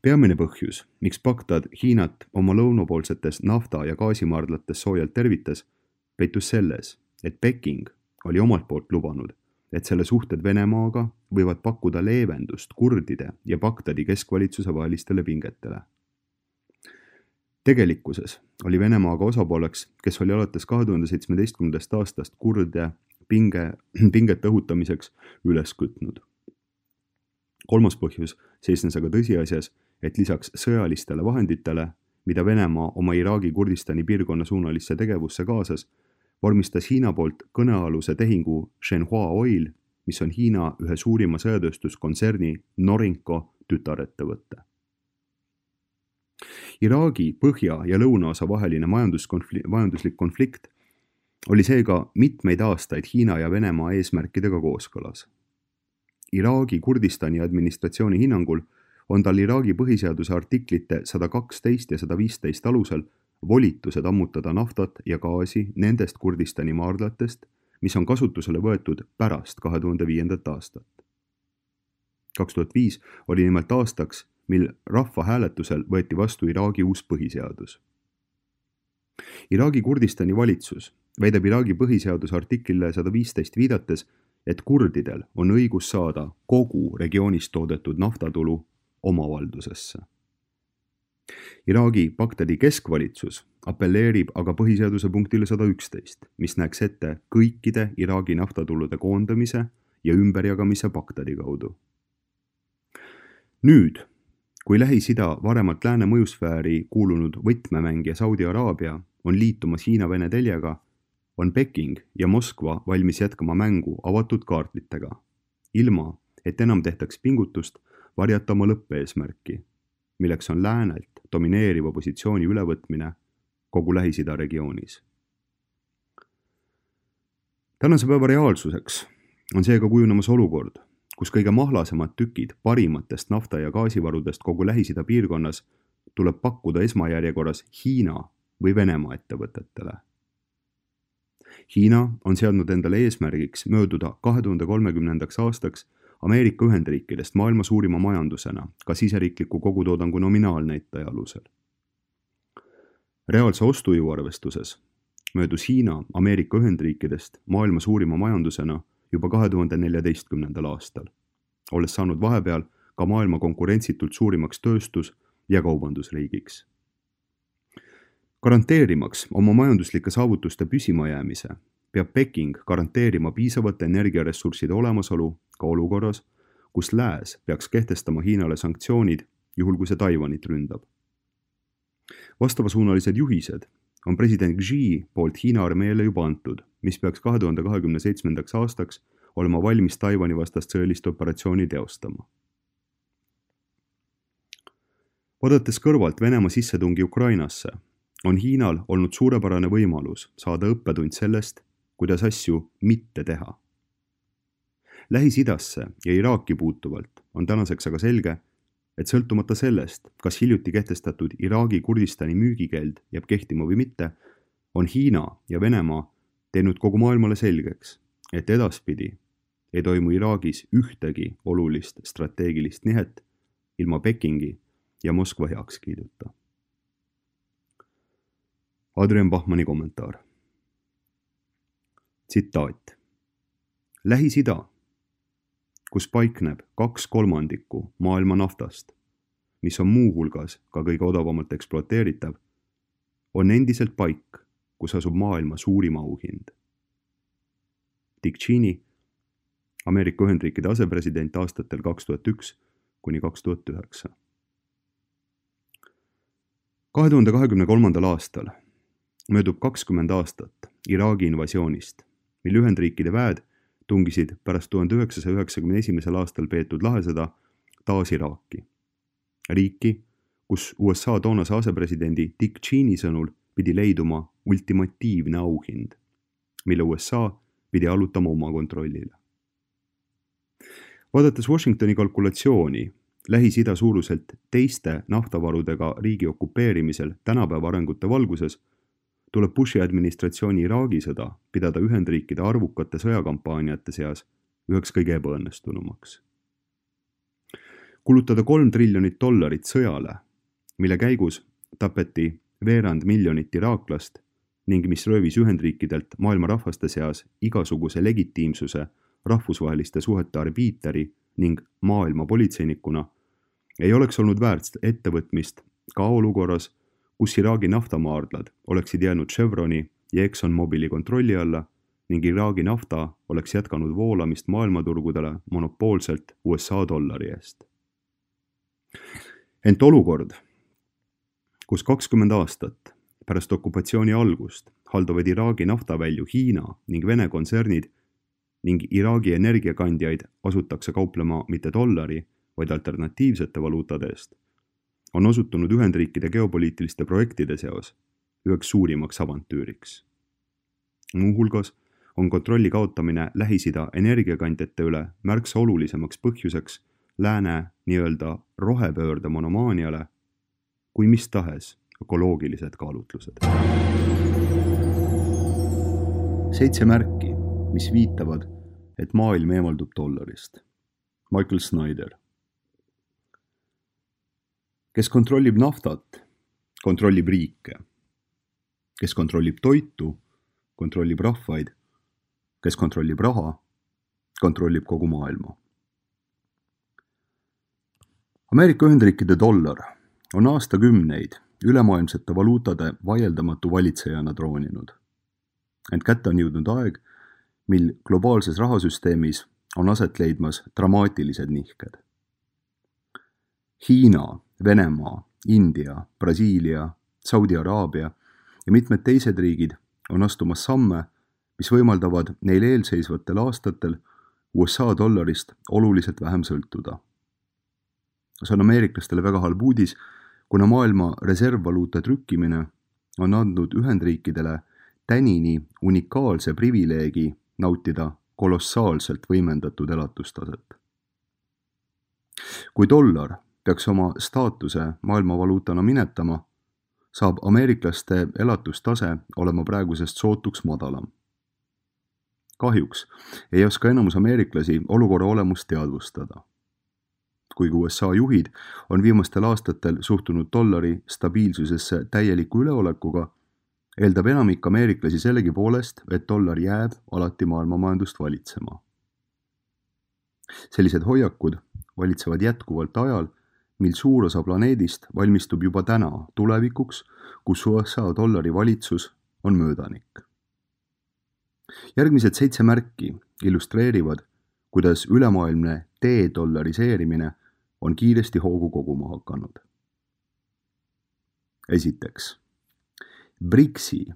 Peamine põhjus, miks Bagdad Hiinat oma lõunapoolsetes nafta- ja gaasimaardlates soojalt tervitas, peitus selles, et Peking oli omalt poolt lubanud, et selle suhted Venemaaga võivad pakkuda leevendust kurdide ja Bagdadi keskvalitsuse vahelistele pingetele. Tegelikkuses oli Venemaaga osapooleks, kes oli alates 2017. aastast kurde pingete õhutamiseks üles kütnud. Kolmas põhjus seisnes aga tõsiasjas, et lisaks sõjalistele vahenditele, mida Venemaa oma Iraagi Kurdistani piirkonna suunalisse tegevusse kaasas, vormistas Hiina poolt kõnealuse tehingu Shenhua Oil, mis on Hiina ühe suurima sõjatööstuskontserni Norinco tütarettevõtte. Iraagi põhja- ja lõunaosa vaheline majanduslik konflikt oli seega mitmeid aastaid Hiina ja Venemaa eesmärkidega kooskõlas. Iraagi Kurdistani administratsiooni hinnangul on tal Iraagi põhiseaduse artiklite 112 ja 115 alusel volitused ammutada naftat ja gaasi nendest Kurdistani maardlatest, mis on kasutusele võetud pärast 2005. aastat. 2005 oli nimelt aastaks, mil rahvahääletusel võeti vastu Iraagi uus põhiseadus. Iraagi Kurdistani valitsus väidab Iraagi põhiseaduse artiklile 115 viidates, et kurdidel on õigus saada kogu regioonis toodetud naftatulu omavaldusesse. Iraagi Bagdadi keskvalitsus appelleerib aga põhiseaduse punktile 111, mis näeks ette kõikide Iraagi naftatulude koondamise ja ümberjagamise Bagdadi kaudu. Nüüd, kui Lähis-Ida varemalt lääne mõjusfääri kuulunud võtmemängija Saudi Araabia on liitumas Hiina-Vene teljega, on Peking ja Moskva valmis jätkama mängu avatud kaartlitega, ilma et enam tehtaks pingutust varjata oma lõppeesmärki, milleks on läänelt domineeriva positsiooni ülevõtmine kogu Lähis-Ida regioonis. Tänase päeva reaalsuseks on seega kujunemas olukord, kus kõige mahlasemad tükid parimatest nafta- ja gaasivarudest kogu Lähis-Ida piirkonnas tuleb pakkuda esmajärjekorras Hiina või Venemaa ettevõtetele. Hiina on seadnud endale eesmärgiks mööduda 2030. aastaks Ameerika Ühendriikidest maailma suurima majandusena ka siseriikliku kogutoodangu nominaalnäitaja alusel. Reaalse ostujõu arvestuses möödus Hiina Ameerika Ühendriikidest maailma suurima majandusena juba 2014. aastal, olles saanud vahepeal ka maailma konkurentsitult suurimaks tööstus- ja kaubandusriigiks. Garanteerimaks oma majanduslike saavutuste püsimajäämise, peab Peking garanteerima piisavate energiaressursside olemasolu ka olukorras, kus lääs peaks kehtestama Hiinale sanktsioonid, juhul kui see Taiwanit ründab. Vastavasuunalised juhised on president Xi poolt Hiina armeele juba antud, mis peaks 2027. aastaks olema valmis Taiwani vastast sõjalist operatsiooni teostama. Vaadates kõrvalt Venemaa sissetungi Ukrainasse, on Hiinal olnud suurepärane võimalus saada õppetund sellest, kuidas asju mitte teha. Lähis-Idasse ja Iraaki puutuvalt on tänaseks aga selge, et sõltumata sellest, kas hiljuti kehtestatud Iraagi Kurdistani müügikeeld jääb kehtima või mitte, on Hiina ja Venemaa teinud kogu maailmale selgeks, et edaspidi ei toimu Iraagis ühtegi olulist strateegilist nihet ilma Pekingi ja Moskva heakskiiduta. Adrian Bachmanni kommentaar. Tsitaat. Lähis-Ida, kus paikneb 2/3 maailma naftast, mis on muuhulgas ka kõige odavamalt ekspluateeritav, on endiselt paik, kus asub maailma suurim auhind. Dick Cheney, Ameerika Ühendriikide asepresident aastatel 2001–2009. 2023. aastal möödub 20 aastat Iraagi invasioonist, mil Ühendriikide väed tungisid pärast 1991. aastal peetud lahesõda taas Iraaki. Riiki, kus USA toonase asepresidendi Dick Cheney sõnul pidi leiduma ultimatiivne auhind, mille USA pidi allutama oma kontrollile. Vaadates Washingtoni kalkulatsiooni Lähis-Ida suuruselt teiste naftavarudega riigi okupeerimisel tänapäeva arengute valguses, tuleb Bushi administratsiooni Iraagi sõda pidada Ühendriikide arvukate sõjakampaaniate seas üheks kõige ebaõnnestunumaks. Kulutada $3 triljonit sõjale, mille käigus tapeti 250 000 iraaklast ning mis röövis Ühendriikidelt maailma rahvaste seas igasuguse legitiimsuse rahvusvaheliste suhete arbiiteri ning maailma politseinikuna, ei oleks olnud väärt ettevõtmist ka olukorras, kus Iraagi naftamaardlad oleksid jäänud Chevroni ja ExxonMobili kontrolli alla ning Iraagi nafta oleks jätkanud voolamist maailmaturgudele monopoolselt USA dollari eest. Ent olukord, kus 20 aastat pärast okupatsiooni algust haldavad Iraagi naftavälju Hiina ning Vene kontsernid ning Iraagi energiakandjaid asutakse kauplema mitte dollari, vaid alternatiivsete valuutade eest, on osutunud Ühendriikide geopoliitiliste projektide seos üheks suurimaks avantüüriks. Muuhulgas on kontrolli kaotamine Lähis-Ida energiakandjate üle märksa olulisemaks põhjuseks lääne nii-öelda rohepöörde monomaaniale kui mis tahes ökoloogilised kaalutlused. 7 märki, mis viitavad, et maailm eemaldub dollarist. Michael Snyder. Kes kontrollib naftat, kontrollib riike. Kes kontrollib toitu, kontrollib rahvaid. Kes kontrollib raha, kontrollib kogu maailma. Ameerika Ühendriikide dollar on aastakümneid ülemaailmsete valuutade vaieldamatu valitsejana trooninud. Ent kätte on jõudnud aeg, mil globaalses rahasüsteemis on aset leidmas dramaatilised nihked. Hiina, Venemaa, India, Brasiilia, Saudi Araabia ja mitmed teised riigid on astumas samme, mis võimaldavad neil eelseisvatel aastatel USA dollarist oluliselt vähem sõltuda. See on ameeriklastele väga halb uudis, kuna maailma reservvaluuta trükkimine on andnud Ühendriikidele tänini unikaalse privileegi nautida kolossaalselt võimendatud elatustaset. Kui dollar peaks oma staatuse maailmavaluutana minetama, saab ameeriklaste elatustase olema praegusest sootuks madalam. Kahjuks ei oska enamus ameeriklasi olukorra olemust teadvustada. Kuigi USA juhid on viimastel aastatel suhtunud dollari stabiilsusesse täieliku üleolekuga, eeldab enamik ameeriklasi sellegi poolest, et dollar jääb alati maailmamajandust valitsema. Sellised hoiakud valitsevad jätkuvalt ajal, mil suur osa planeedist valmistub juba täna tulevikuks, kus USA dollari valitsus on möödanik. Järgmised 7 märki illustreerivad, kuidas ülemaailmne dedollariseerimine on kiiresti hoogu koguma hakanud. Esiteks, BRICS-i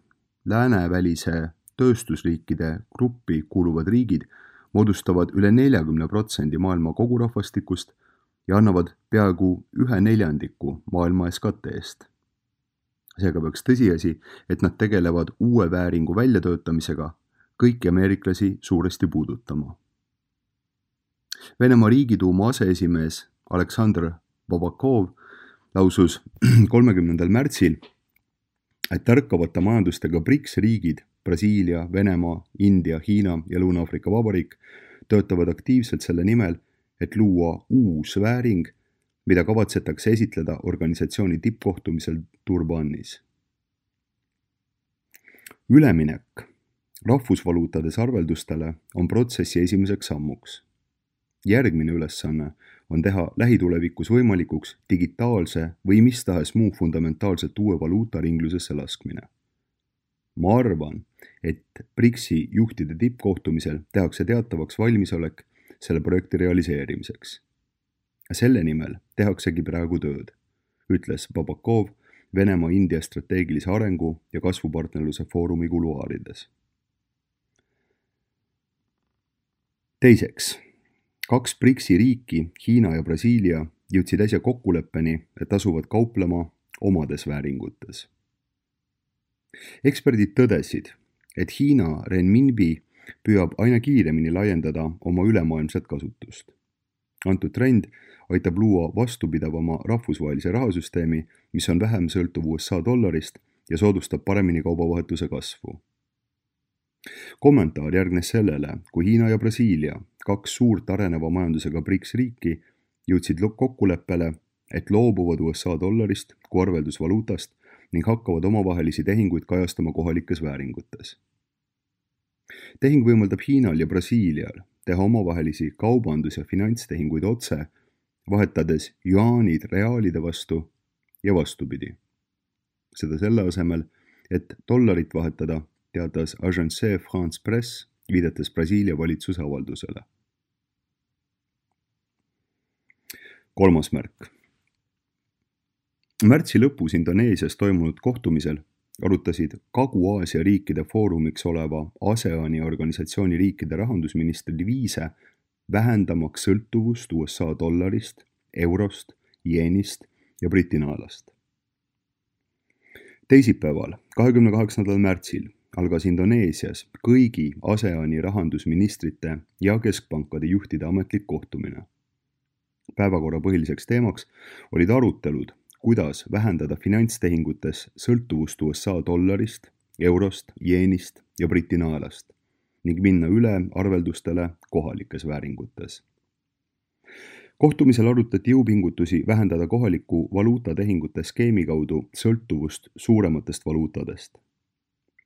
läänevälise tööstusriikide gruppi kuuluvad riigid moodustavad üle 40% maailma kogurahvastikust ja annavad peaaegu 1/4 maailma SKT-st. Seega peaks tõsiasi, et nad tegelevad uue vääringu väljatöötamisega, kõiki ameeriklasi suuresti puudutama. Venemaa Riigiduuma aseesimees Aleksandr Babakov lausus 30. märtsil, et tärkavate majandustega BRICS riigid, Brasiilia, Venemaa, India, Hiina ja Lõuna-Aafrika Vabariik töötavad aktiivselt selle nimel, et luua uus vääring, mida kavatsetakse esitleda organisatsiooni tippkohtumisel Durbanis. Üleminek rahvusvaluutades arveldustele on protsessi esimeseks sammuks. Järgmine ülesanne on teha lähitulevikus võimalikuks digitaalse või mis tahes muu fundamentaalselt uue valuuta ringlusesse laskmine. Ma arvan, et BRICS-i juhtide tippkohtumisel tehakse teatavaks valmisolek selle projekti realiseerimiseks. Selle nimel tehaksegi praegu tööd, ütles Babakov Venemaa-India strateegilise arengu ja kasvupartnerluse foorumi kuluaarides. Teiseks, 2 BRICS-i riiki, Hiina ja Brasiilia, jõudsid äsja kokkuleppeni, et asuvad kauplema omades vääringutes. Eksperdid tõdesid, et Hiina renminbi püüab aina kiiremini laiendada oma ülemaailmset kasutust. Antud trend aitab luua vastupidavama rahvusvahelise rahasüsteemi, mis on vähem sõltuv USA dollarist ja soodustab paremini kaubavahetuse kasvu. Kommentaar järgnes sellele, kui Hiina ja Brasiilia, 2 suurt areneva majandusega BRICS riiki, jõudsid kokkuleppele, et loobuvad USA dollarist kui arveldusvaluutast ning hakkavad omavahelisi tehinguid kajastama kohalikes vääringutes. Tehing võimaldab Hiinal ja Brasiilial teha omavahelisi kaubandus- ja finantstehinguid otse, vahetades juaanid reaalide vastu ja vastupidi. Seda selle asemel, et dollarit vahetada, teatas Agence France Presse, viidates Brasiilia valitsuse avaldusele. 3. märk. Märtsi lõpus Indoneesias toimunud kohtumisel arutasid Kagu-Aasia riikide foorumiks oleva ASEAN-i organisatsiooni riikide rahandusministrid viise vähendamaks sõltuvust USA dollarist, eurost, jeenist ja Briti naelast. Teisipäeval, 28. märtsil algas Indoneesias kõigi ASEAN-i rahandusministrite ja keskpankade juhtide ametlik kohtumine. Päevakorra põhiliseks teemaks olid arutelud, kuidas vähendada finantstehingutes sõltuvust USA dollarist, eurost, jeenist ja Briti naelast ning minna üle arveldustele kohalikes vääringutes. Kohtumisel arutati jõupingutusi vähendada kohaliku valuutatehingute skeemi kaudu sõltuvust suurematest valuutadest.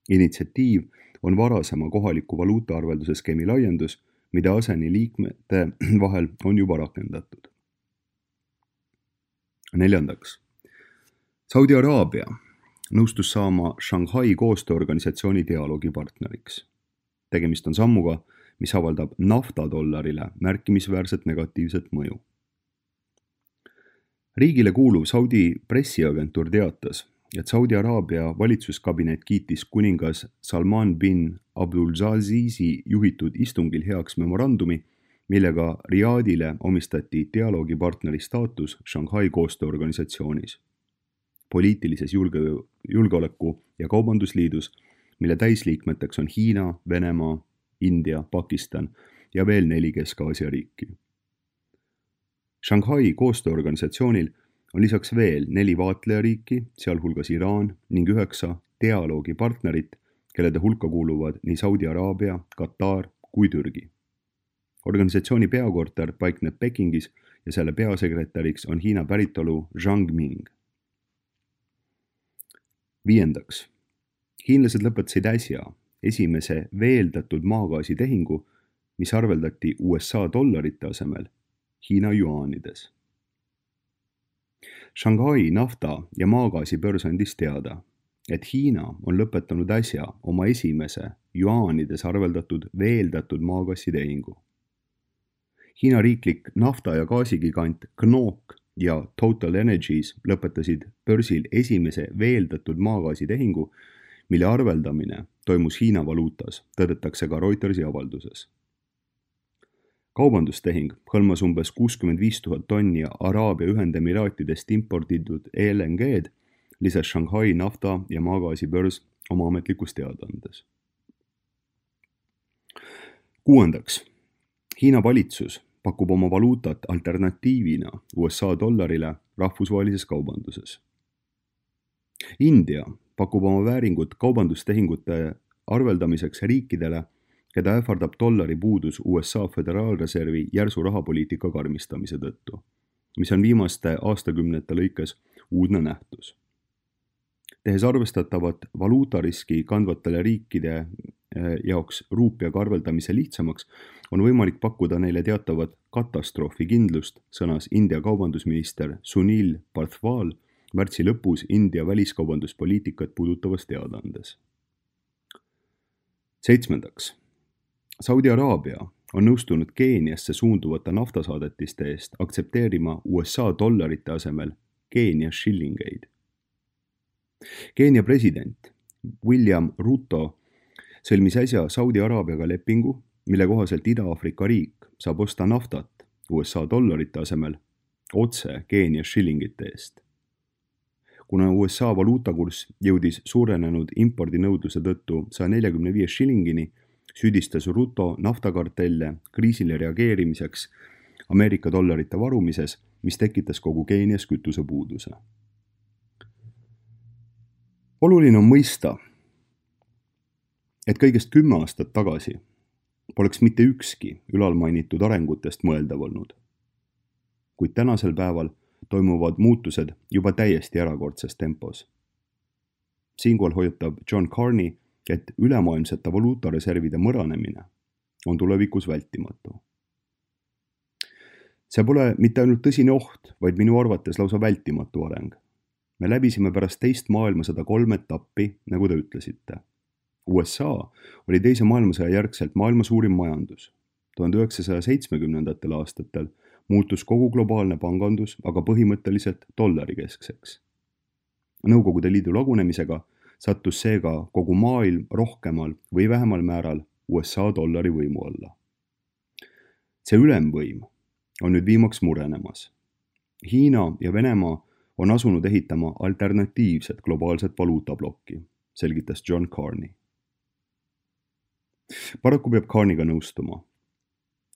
Initsiatiiv on varasema kohaliku valuutaarvelduse skeemi laiendus, mida ASEAN-i liikmete vahel on juba rakendatud. 4. Saudi Araabia nõustus saama Shanghai koostööorganisatsiooni dialoogipartneriks. Tegemist on sammuga, mis avaldab naftadollarile märkimisväärset negatiivset mõju. Riigile kuuluv Saudi pressiagentuur teatas, et Saudi Araabia valitsuskabinet kiitis kuningas Salman bin Abdulazizi juhitud istungil heaks memorandumi, millega Riyadile omistati dialoogipartneri staatus Shanghai koostööorganisatsioonis, poliitilises julgeoleku- ja kaubandusliidus, mille täisliikmeteks on Hiina, Venemaa, India, Pakistan ja veel 4 Kesk-Aasia riiki. Shanghai koostööorganisatsioonil on lisaks veel 4 vaatlejariiki, sealhulgas Iraan ning 9 dialoogipartnerit, kellede hulka kuuluvad nii Saudi Araabia, Katar kui Türgi. Organisatsiooni peakorter paikneb Pekingis ja selle peasekretäriks on Hiina päritolu Zhang Ming. 5. Hiinlased lõpetasid äsja esimese veeldatud maagaasitehingu, mis arveldati USA dollarite asemel Hiina juaanides. Shanghai nafta- ja maagaasibörs andis teada, et Hiina on lõpetanud äsja oma esimese juaanides arveldatud veeldatud maagaasitehingu. Hiina riiklik nafta- ja gaasigigant KNOOC ja Total Energies lõpetasid börsil esimese veeldatud maagaasitehingu, mille arveldamine toimus Hiina valuutas, tõdetakse ka Reutersi avalduses. Kaubandustehing hõlmas umbes 65 000 tonni Araabia Ühendemiraatidest imporditud LNG-d, lisas Shanghai nafta- ja maagaasibörs oma ametlikus teadaandes. 6. Hiina valitsus pakub oma valuutat alternatiivina USA dollarile rahvusvahelises kaubanduses. India pakub oma vääringut kaubandustehingute arveldamiseks riikidele, keda ähvardab dollari puudus USA Föderaalreservi järsu rahapoliitika karmistamise tõttu, mis on viimaste aastakümnete lõikes uudne nähtus. Tehes arvestatavat valuutariski kandvatele riikide jaoks ruupiaga arveldamise lihtsamaks, on võimalik pakkuda neile teatavat katastroofikindlust, sõnas India kaubandusminister Sunil Parthwal märtsi lõpus India väliskaubanduspoliitikat puudutavas teadaandes. 7. Saudi Araabia on nõustunud Keeniasse suunduvate naftasaadetiste eest aktsepteerima USA dollarite asemel Keenia shillingeid. Keenia president William Ruto sõlmis äsja Saudi Araabiaga lepingu, mille kohaselt Ida-Aafrika riik saab osta naftat USA dollarite asemel otse Keenia shillingite eest. Kuna USA valuutakurss jõudis suurenenud impordinõudluse tõttu 145 shillingini, süüdistas Ruto naftakartelle kriisile reageerimiseks Ameerika dollarite varumises, mis tekitas kogu Keenias kütusepuuduse. Oluline on mõista, et kõigest 10 aastat tagasi poleks mitte ükski ülalmainitud arengutest mõeldav olnud. Kuid tänasel päeval toimuvad muutused juba täiesti erakordses tempos. Siinkohal hoiatab John Carney, et ülemaailmsete valuutareservide mõranemine on tulevikus vältimatu. See pole mitte ainult tõsine oht, vaid minu arvates lausa vältimatu areng. Me läbisime pärast teist maailmasõda 3 etappi, nagu te ütlesite. USA oli teise maailmasõja järgselt maailma suurim majandus. 1970. aastatel muutus kogu globaalne pangandus aga põhimõtteliselt dollarikeskseks. Nõukogude Liidu lagunemisega sattus seega kogu maailm rohkemal või vähemal määral USA dollari võimu alla. See ülemvõim on nüüd viimaks murenemas. Hiina ja Venemaa on asunud ehitama alternatiivset globaalset valuutablokki, selgitas John Carney. Paraku peab Carneyga nõustuma.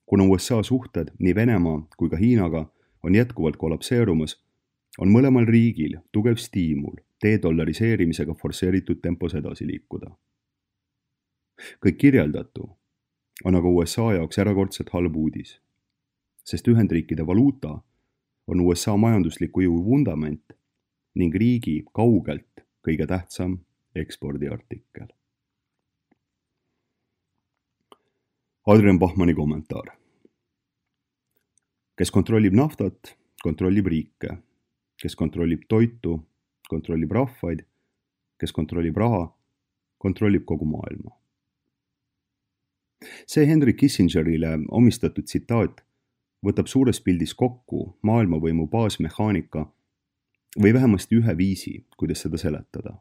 Kuna USA suhted nii Venemaa kui ka Hiinaga on jätkuvalt kollapseerumas, on mõlemal riigil tugev stiimul dedollariseerimisega forsseeritud tempos edasi liikuda. Kõik kirjeldatu on aga USA jaoks erakordselt halb uudis, sest Ühendriikide valuuta on USA majandusliku jõu vundament ning riigi kaugelt kõige tähtsam ekspordiartikkel. Adrian Bachmanni kommentaar. Kes kontrollib naftat, kontrollib riike. Kes kontrollib toitu, kontrollib rahvaid. Kes kontrollib raha, kontrollib kogu maailma. See Henry Kissingerile omistatud tsitaat võtab suures pildis kokku maailmavõimu baasmehaanika või vähemasti ühe viisi, kuidas seda seletada.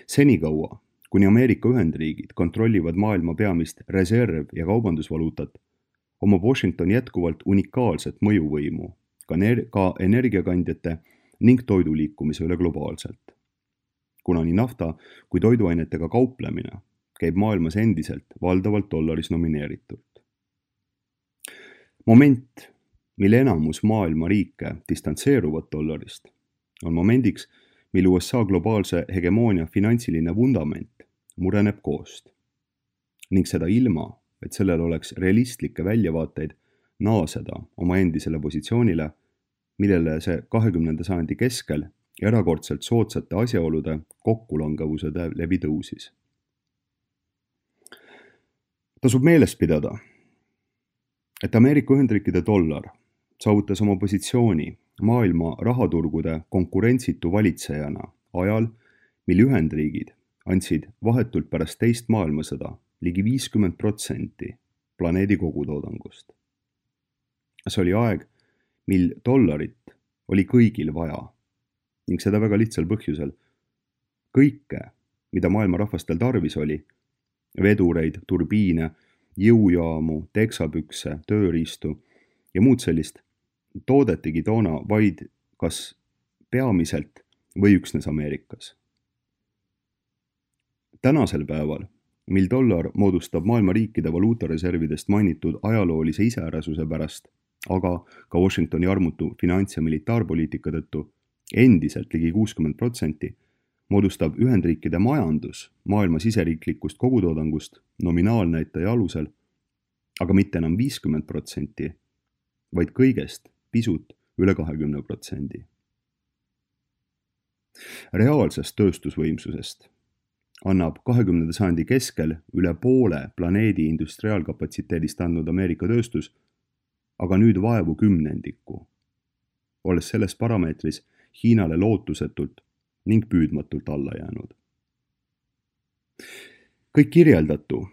Senikaua, kuni Ameerika Ühendriigid kontrollivad maailma peamist reserv- ja kaubandusvaluutat, omab Washington jätkuvalt unikaalset mõjuvõimu ka energiakandjate ning toiduliikumise üle globaalselt. Kuna nii nafta kui toiduainetega kauplemine käib maailmas endiselt valdavalt dollaris nomineeritult. Moment, mil enamus maailma riike distantseeruvad dollarist, on momendiks, mil USA globaalse hegemoonia finantsiline vundament mureneb koost ning seda ilma, et sellel oleks realistlikke väljavaateid naaseda oma endisele positsioonile, millele see 20. sajandi keskel erakordselt soodsate asjaolude kokkulangevuse läbi tõusis. Tasub meeles pidada, et Ameerika Ühendriikide dollar saavutas oma positsiooni maailma rahaturgude konkurentsitu valitsejana ajal, mil Ühendriigid andsid vahetult pärast teist maailmasõda ligi 50% planeedi kogutoodangust. See oli aeg, mil dollarit oli kõigil vaja ning seda väga lihtsal põhjusel. Kõike, mida maailma rahvastel tarvis oli, vedureid, turbiine, jõujaamu, teksapükse, tööriistu ja muud sellist, toodetigi toona vaid kas peamiselt või üksnes Ameerikas. Tänasel päeval, mil dollar moodustab maailma riikide valuutareservidest mainitud ajaloolise iseärasuse pärast, aga ka Washingtoni armutu finants- ja militaarpoliitika tõttu endiselt ligi 60%, moodustab Ühendriikide majandus maailma siseriiklikust kogutoodangust nominaalnäitaja alusel, aga mitte enam 50%, vaid kõigest pisut üle 20%. Reaalsest tööstusvõimsusest annab 20. sajandi keskel üle poole planeedi industriaalkapatsiteedist andnud Ameerika tööstus, aga nüüd vaevu 10%, olles selles parameetris Hiinale lootusetult ning püüdmatult alla jäänud. Kõik kirjeldatu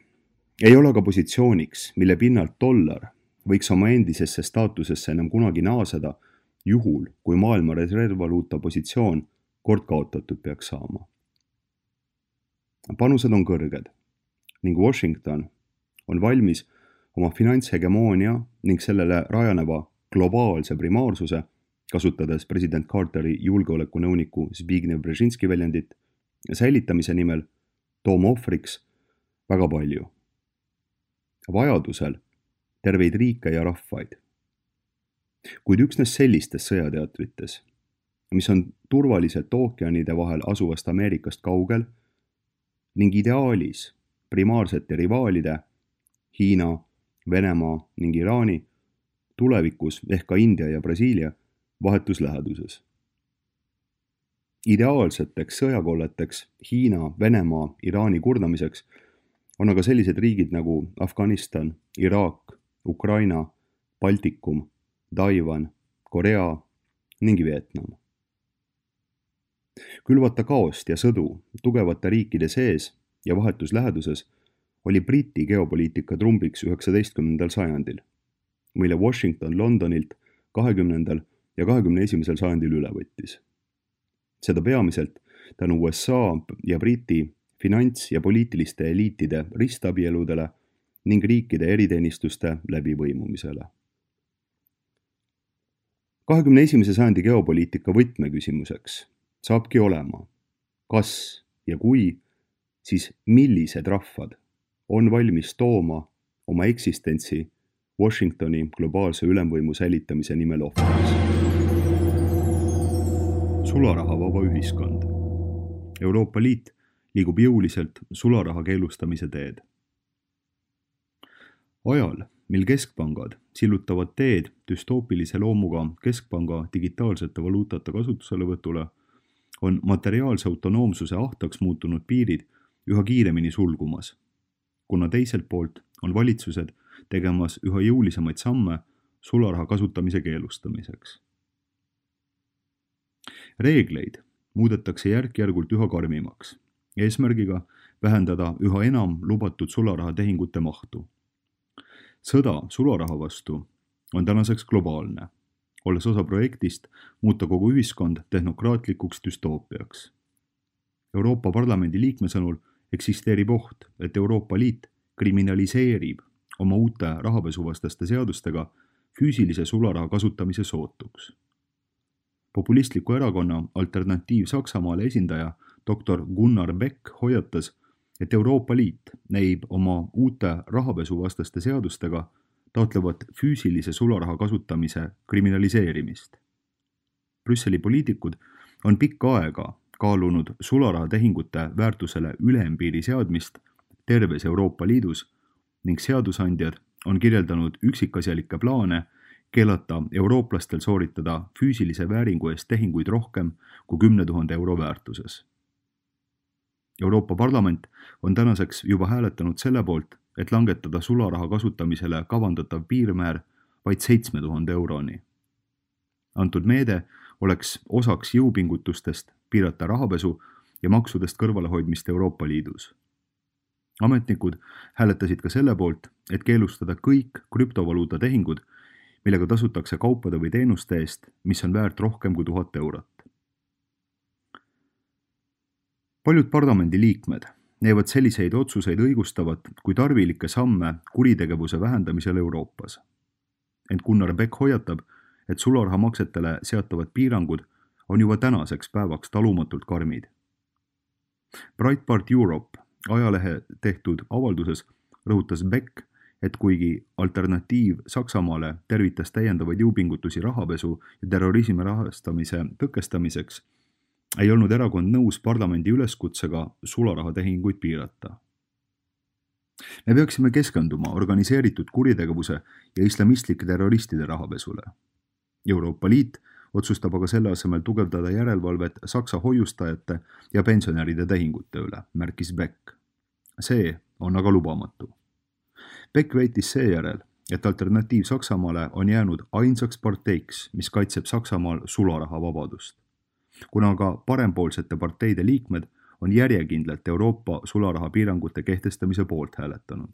ei ole ka positsiooniks, mille pinnalt dollar võiks oma endisesse staatusesse enam kunagi naaseda, juhul kui maailma reservvaluuta positsioon kord kaotatud peaks saama. Panused on kõrged ning Washington on valmis oma finantshegemoonia ning sellele rajaneva globaalse primaarsuse, kasutades president Carteri julgeolekunõuniku Zbigniew Brzezinski väljendit, säilitamise nimel tooma ohvriks väga palju. Vajadusel terveid riike ja rahvaid. Kuid üksnes sellistes sõjateatrites, mis on turvaliselt ookeanide vahel asuvast Ameerikast kaugel ning ideaalis primaarsete rivaalide Hiina, Venemaa ning Iraani, tulevikus ehk ka India ja Brasiilia vahetus läheduses. Ideaalseteks sõjakolleteks Hiina, Venemaa, Iraani kurnamiseks on aga sellised riigid nagu Afganistan, Iraak, Ukraina, Baltikum, Taiwan, Korea ning Vietnam. Külvata kaost ja sõdu tugevate riikide sees ja vahetus läheduses oli Briti geopoliitika trumbiks 19. sajandil, mille Washington Londonilt 20. ja 21. sajandil üle võttis. Seda peamiselt tänu USA ja Briti finants- ja poliitiliste eliitide ristabieludele ning riikide eriteenistuste läbivõimumisele. 21. sajandi geopoliitika võtmeküsimuseks saabki olema, kas ja kui, siis millised rahvad on valmis tooma oma eksistentsi Washingtoni globaalse ülemvõimu säilitamise nimel ohvriks. Sularahavaba ühiskond. Euroopa Liit liigub jõuliselt sularaha keelustamise teed. Ajal, mil keskpangad sillutavad teed düstoopilise loomuga keskpanga digitaalsete valuutate kasutuselevõtule, on materiaalse autonoomsuse ahtaks muutunud piirid üha kiiremini sulgumas, kuna teiselt poolt on valitsused tegemas üha jõulisemaid samme sularaha kasutamise keelustamiseks. Reegleid muudetakse järk-järgult üha karmimaks, eesmärgiga vähendada üha enam lubatud sularaha tehingute mahtu. Sõda sularaha vastu on tänaseks globaalne, olles osa projektist muuta kogu ühiskond tehnokraatlikuks düstoopiaks. Euroopa Parlamendi liikme sõnul eksisteerib oht, et Euroopa Liit kriminaliseerib oma uute rahapesuvastaste seadustega füüsilise sularaha kasutamise sootuks. Populistliku erakonna Alternatiiv Saksamaale esindaja dr. Gunnar Beck hoiatas, et Euroopa Liit näib oma uute rahapesuvastaste seadustega taotlevat füüsilise sularaha kasutamise kriminaliseerimist. Brüsseli poliitikud on pikka aega kaalunud sularahatehingute väärtusele ülempiiri seadmist terves Euroopa Liidus ning seadusandjad on kirjeldanud üksikasjalikke plaane keelata eurooplastel sooritada füüsilise vääringu eest tehinguid rohkem kui 10 000 euro väärtuses. Euroopa Parlament on tänaseks juba hääletanud selle poolt, et langetada sularaha kasutamisele kavandatav piirmäär vaid 7000 euroni. Antud meede oleks osaks jõupingutustest piirata rahapesu ja maksudest kõrvalehoidmist Euroopa Liidus. Ametnikud hääletasid ka selle poolt, et keelustada kõik krüptovaluuta tehingud, millega tasutakse kaupade või teenuste eest, mis on väärt rohkem kui 1000 eurot. Paljud parlamendi liikmed näevad selliseid otsuseid õigustavat kui tarvilikke samme kuritegevuse vähendamisel Euroopas. Ent Gunnar Beck hoiatab, et sularahamaksetele seatavad piirangud on juba tänaseks päevaks talumatult karmid. Breitbart Europe ajalehe tehtud avalduses rõhutas Beck, et kuigi Alternatiiv Saksamaale tervitas täiendavaid jõupingutusi rahapesu ja terrorismi rahastamise tõkestamiseks, ei olnud erakond nõus parlamendi üleskutsega sularahatehinguid piirata. Me peaksime keskenduma organiseeritud kuritegevuse ja islamistlike terroristide rahapesule. Euroopa Liit otsustab aga selle asemel tugevdada järelevalvet Saksa hoiustajate ja pensionäride tehingute üle, märkis Beck. See on aga lubamatu. Beck väitis seejärel, et Alternatiiv Saksamaale on jäänud ainsaks parteiks, mis kaitseb Saksamaal sularahavabadust. Kuna aga parempoolsete parteide liikmed on järjekindlalt Euroopa sularahapiirangute kehtestamise poolt hääletanud.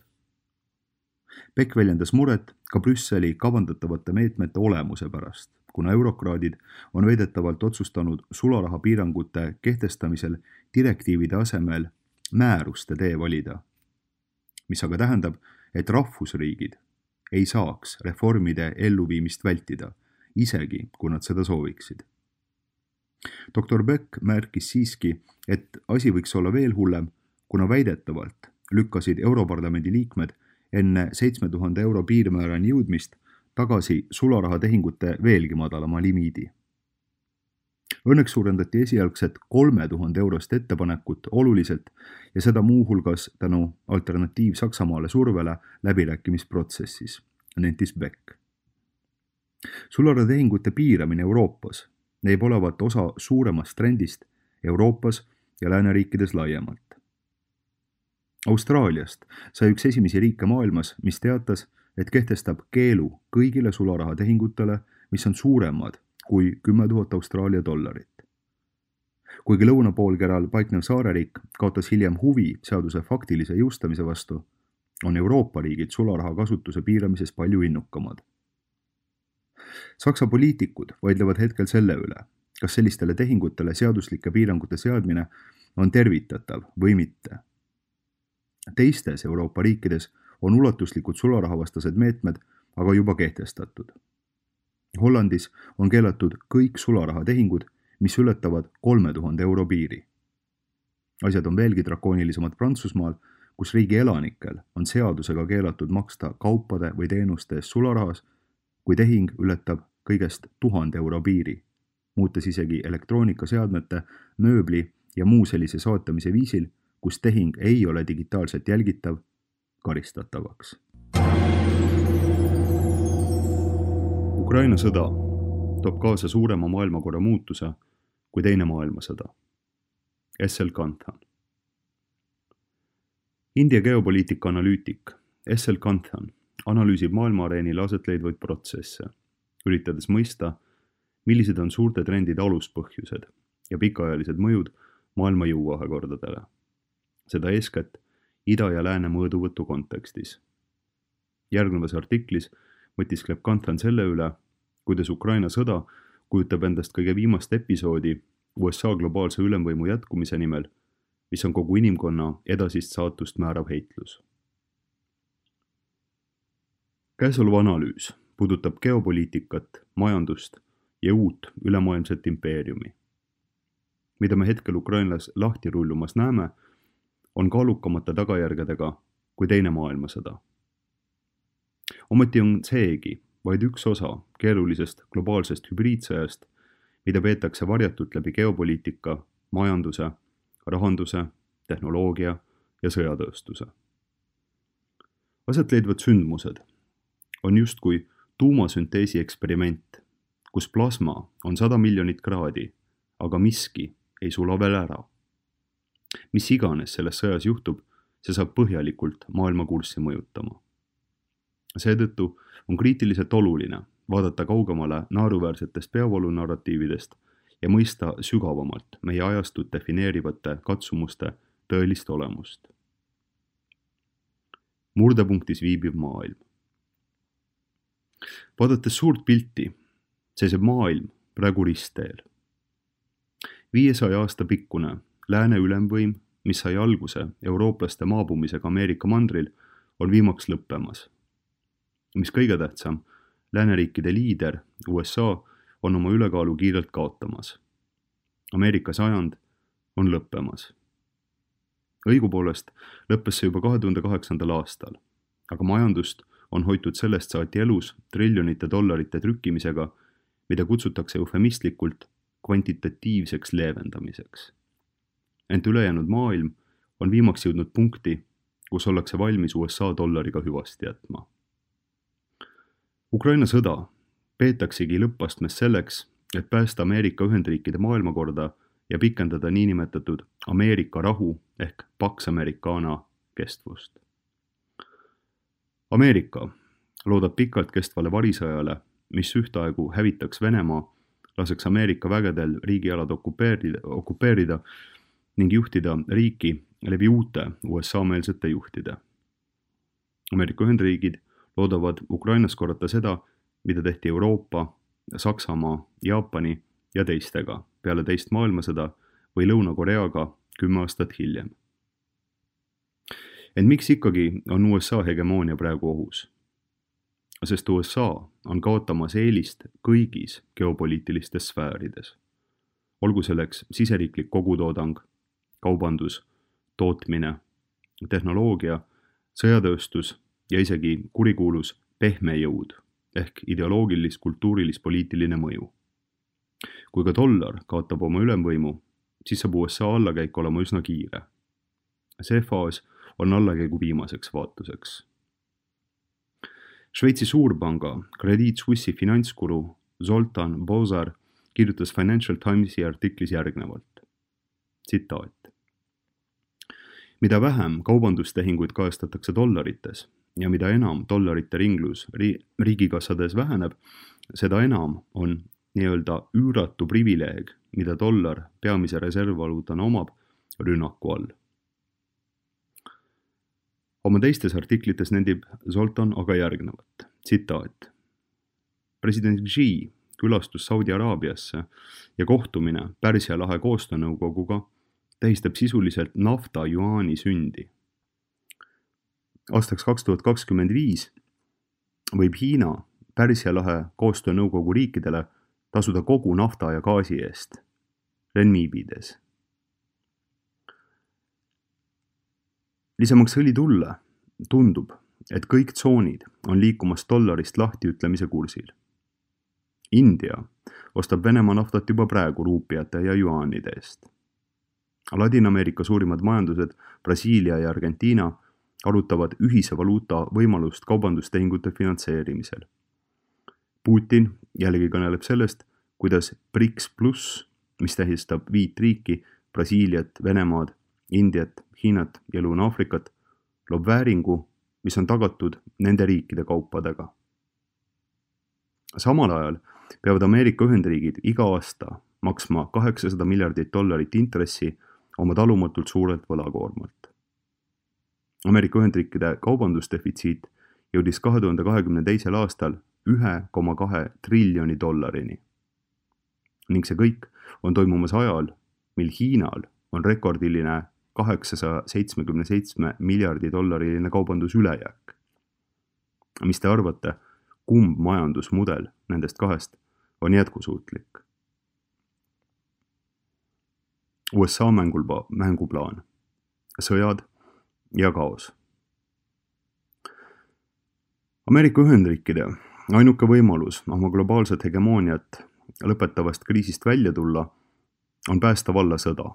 Beck väljendas muret ka Brüsseli kavandatavate meetmete olemuse pärast, kuna eurokraadid on väidetavalt otsustanud sularahapiirangute kehtestamisel direktiivide asemel määruste tee valida, mis aga tähendab, et rahvusriigid ei saaks reformide elluviimist vältida, isegi kui nad seda sooviksid. Dr. Beck märkis siiski, et asi võiks olla veel hullem, kuna väidetavalt lükkasid Europarlamendi liikmed enne 7000 euro piirmäärani jõudmist tagasi sularahatehingute veelgi madalama limiidi. Õnneks suurendati esialgset 3000 eurost ettepanekut oluliselt ja seda muuhulgas tänu Alternatiiv Saksamaale survele läbirääkimisprotsessis, nentis Beck. Sularahatehingute piiramine Euroopas näib olevat osa suuremast trendist Euroopas ja lääneriikides laiemalt. Austraaliast sai üks esimesi riike maailmas, mis teatas, et kehtestab keelu kõigile sularahatehingutele, mis on suuremad kui 10 000 Austraalia dollarit. Kuigi lõunapoolkeral paiknev saareriik kaotas hiljem huvi seaduse faktilise jõustamise vastu, on Euroopa riigid sularaha kasutuse piiramises palju innukamad. Saksa poliitikud vaidlevad hetkel selle üle, kas sellistele tehingutele seaduslike piirangute seadmine on tervitatav või mitte. Teistes Euroopa riikides on ulatuslikud sularahavastased meetmed aga juba kehtestatud. Hollandis on keelatud kõik sularahatehingud, mis ületavad 3000 euro piiri. Asjad on veelgi drakoonilisemad Prantsusmaal, kus riigi elanikel on seadusega keelatud maksta kaupade või teenuste eest sularahas, kui tehing ületab kõigest 1000 euro piiri, muutes isegi elektroonikaseadmete, mööbli ja muu sellise soetamise viisil, kus tehing ei ole digitaalselt jälgitav, karistatavaks. Ukraina sõda toob kaasa suurema maailmakorra muutuse kui teine maailmasõda. S.L. Kanthan. India geopoliitika analüütik S.L. Kanthan analüüsib maailmaareenil aset leidvaid protsesse, üritades mõista, millised on suurte trendide aluspõhjused ja pikaajalised mõjud maailma jõuvahekordadele. Seda eeskätt ida ja lääne mõõduvõtu kontekstis. Järgnevas artiklis mõtiskleb Kanthan selle üle, kuidas Ukraina sõda kujutab endast kõige viimast episoodi USA globaalse ülemvõimu jätkumise nimel, mis on kogu inimkonna edasist saatust määrav heitlus. Käesolev analüüs puudutab geopoliitikat, majandust ja uut ülemaailmset impeeriumi. Mida me hetkel Ukrainas lahti rullumas näeme, on kaalukamate tagajärgedega kui teine maailmasõda. Ometi on seegi vaid üks osa keerulisest globaalsest hübriidsõjast, mida peetakse varjatult läbi geopoliitika, majanduse, rahanduse, tehnoloogia ja sõjatööstuse. Aset leidvad sündmused on justkui tuumasünteesi eksperiment, kus plasma on 100 miljonit kraadi, aga miski ei sula veel ära. Mis iganes selles sõjas juhtub, see saab põhjalikult maailma kurssi mõjutama. Seetõttu on kriitiliselt oluline vaadata kaugemale naeruväärsetest peavoolunarratiividest ja mõista sügavamalt meie ajastut defineerivate katsumuste tõelist olemust. Murdepunktis viibiv maailm. Vaadates suurt pilti, seiseb maailm praegu ristteel. 500 aasta pikkune lääne ülemvõim, mis sai alguse eurooplaste maabumisega Ameerika mandril, on viimaks lõppemas. Mis kõige tähtsam, lääneriikide liider USA on oma ülekaalu kiirelt kaotamas. Ameerika sajand on lõppemas. Õigupoolest lõppes see juba 2008. aastal, aga majandust on hoitud sellest saati elus triljonite dollarite trükkimisega, mida kutsutakse eufemistlikult kvantitatiivseks leevendamiseks. Ent ülejäänud maailm on viimaks jõudnud punkti, kus ollakse valmis USA dollariga hüvasti jätma. Ukraina sõda peetaksegi lõppastmes selleks, et päästa Ameerika Ühendriikide maailmakorda ja pikendada niinimetatud Ameerika rahu ehk Pax Americana kestvust. Ameerika loodab pikalt kestvale varisõjale, mis ühtaegu hävitaks Venemaa, laseks Ameerika vägedel riigialad okupeerida ning juhtida riiki läbi uute USA-meelsete juhtide. Ameerika Ühendriigid loodavad Ukrainas korrata seda, mida tehti Euroopa, Saksamaa, Jaapani ja teistega peale teist maailmasõda või Lõuna-Koreaga 10 aastat hiljem. Ent miks ikkagi on USA hegemoonia praegu ohus? Sest USA on kaotamas eelist kõigis geopoliitilistes sfäärides. Olgu selleks siseriiklik kogutoodang, kaubandus, tootmine, tehnoloogia, sõjatööstus ja isegi kurikuulus pehme jõud ehk ideoloogilis-kultuurilis-poliitiline mõju. Kui ka dollar kaotab oma ülemvõimu, siis saab USA allakäik olema üsna kiire. See faas on allakäigu viimaseks vaatuseks. Šveitsi suurpanga Credit Suisse'i finantskuru Zoltan Bozar kirjutas Financial Timesi artiklis järgnevalt. Tsitaat. Mida vähem kaubandustehinguid kajastatakse dollarites ja mida enam dollarite ringlus riigikassades väheneb, seda enam on nii-öelda üüratu privileeg, mida dollar peamise reservvaluutana omab, rünnaku all. Oma teistes artiklites nendib Zoltan aga järgnevat. Tsitaat. President Xi külastus Saudi Araabiasse ja kohtumine Pärsia lahe koostöönõukoguga tähistab sisuliselt nafta juaani sündi. Aastaks 2025 võib Hiina Pärsia lahe koostöönõukogu riikidele tasuda kogu nafta ja gaasi eest, renmiibides. Lisamaks õli tulle tundub, et kõik tsoonid on liikumas dollarist lahtiütlemise kursil. India ostab Venemaa naftat juba praegu ruupiate ja juaanide eest. Ladina-Ameerika suurimad majandused Brasiilia ja Argentiina arutavad ühise valuuta võimalust kaubandustehingute finantseerimisel. Putin jällegi kõneleb sellest, kuidas BRICS pluss, mis tähistab 5 riiki, Brasiiliat, Venemaad, Indiat, Hiinat ja Lõuna-Aafrikat, loob vääringu, mis on tagatud nende riikide kaupadega. Samal ajal peavad Ameerika Ühendriigid iga aasta maksma $800 miljardit intressi oma talumatult suurelt võlakoormalt. Ameerika Ühendriikide kaubandusdefitsiit jõudis 2022. aastal 1,2 triljoni dollarini. Ning see kõik on toimumas ajal, mil Hiinal on rekordiline 877 miljardi dollariline kaubandusülejääk. Mis te arvate, kumb majandusmudel nendest kahest on jätkusuutlik? USA mänguplaan, sõjad ja kaos. Ameerika Ühendriikide ainuke võimalus oma globaalset hegemooniat lõpetavast kriisist välja tulla on päästa valla sõda.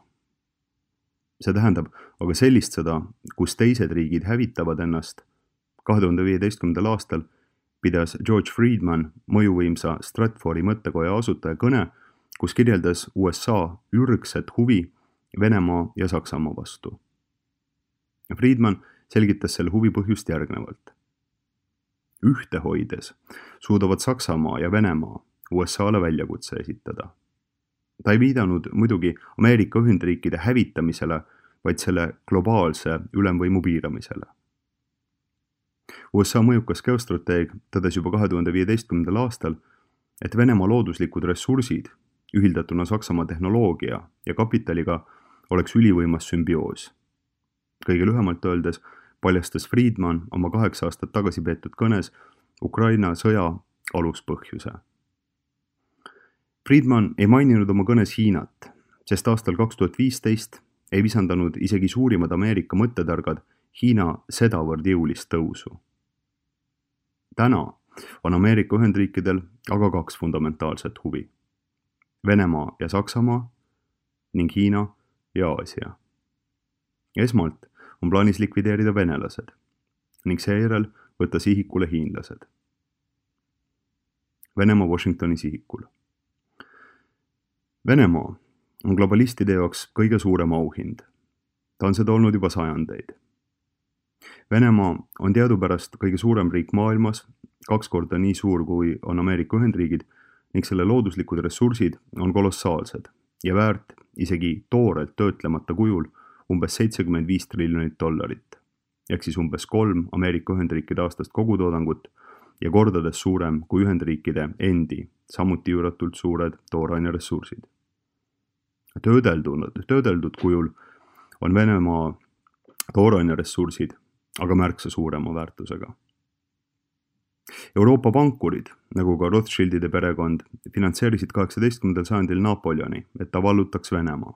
See tähendab aga sellist sõda, kus teised riigid hävitavad ennast. 2015. aastal pidas George Friedman mõjuvõimsa Stratfori mõttekoja asutaja kõne, kus kirjeldas USA ürgset huvi Venemaa ja Saksamaa vastu. Friedman selgitas selle huvi põhjust järgnevalt. Ühte hoides suudavad Saksamaa ja Venemaa USA-le väljakutse esitada. Ta ei viidanud muidugi Ameerika Ühendriikide hävitamisele, vaid selle globaalse ülemvõimu piiramisele. USA mõjukas geostrateeg tõdes juba 2015. aastal, et Venemaa looduslikud ressursid, ühildatuna Saksamaa tehnoloogia ja kapitaliga, oleks ülivõimas sümbioos. Kõige lühemalt öeldes paljastas Friedman oma 8 aastat tagasi peetud kõnes Ukraina sõja aluspõhjuse. Friedman ei maininud oma kõnes Hiinat, sest aastal 2015 ei visandanud isegi suurimad Ameerika mõttetargad Hiina sedavõrd jõulist tõusu. Täna on Ameerika Ühendriikidel aga 2 fundamentaalset huvi. Venemaa ja Saksamaa ning Hiina ja Aasia. Esmalt on plaanis likvideerida venelased ning seejärel võtta sihikule hiinlased. Venemaa Washingtoni sihikul. Venemaa on globalistide jaoks kõige suurem auhind. Ta on seda olnud juba sajandeid. Venemaa on teadupärast kõige suurem riik maailmas, 2 korda nii suur kui on Ameerika Ühendriigid ning selle looduslikud ressursid on kolossaalsed ja väärt isegi toorelt töötlemata kujul umbes $75 triljonit, ehk siis umbes 3 Ameerika Ühendriikide aastast kogutoodangut ja kordades suurem kui Ühendriikide endi, samuti üüratult suured tooraine ressursid. Töödeldud kujul on Venemaa tooraine ressursid aga märksa suurema väärtusega. Euroopa pankurid, nagu ka Rothschildide perekond, finantseerisid 18. sajandil Napoleoni, et ta vallutaks Venemaa.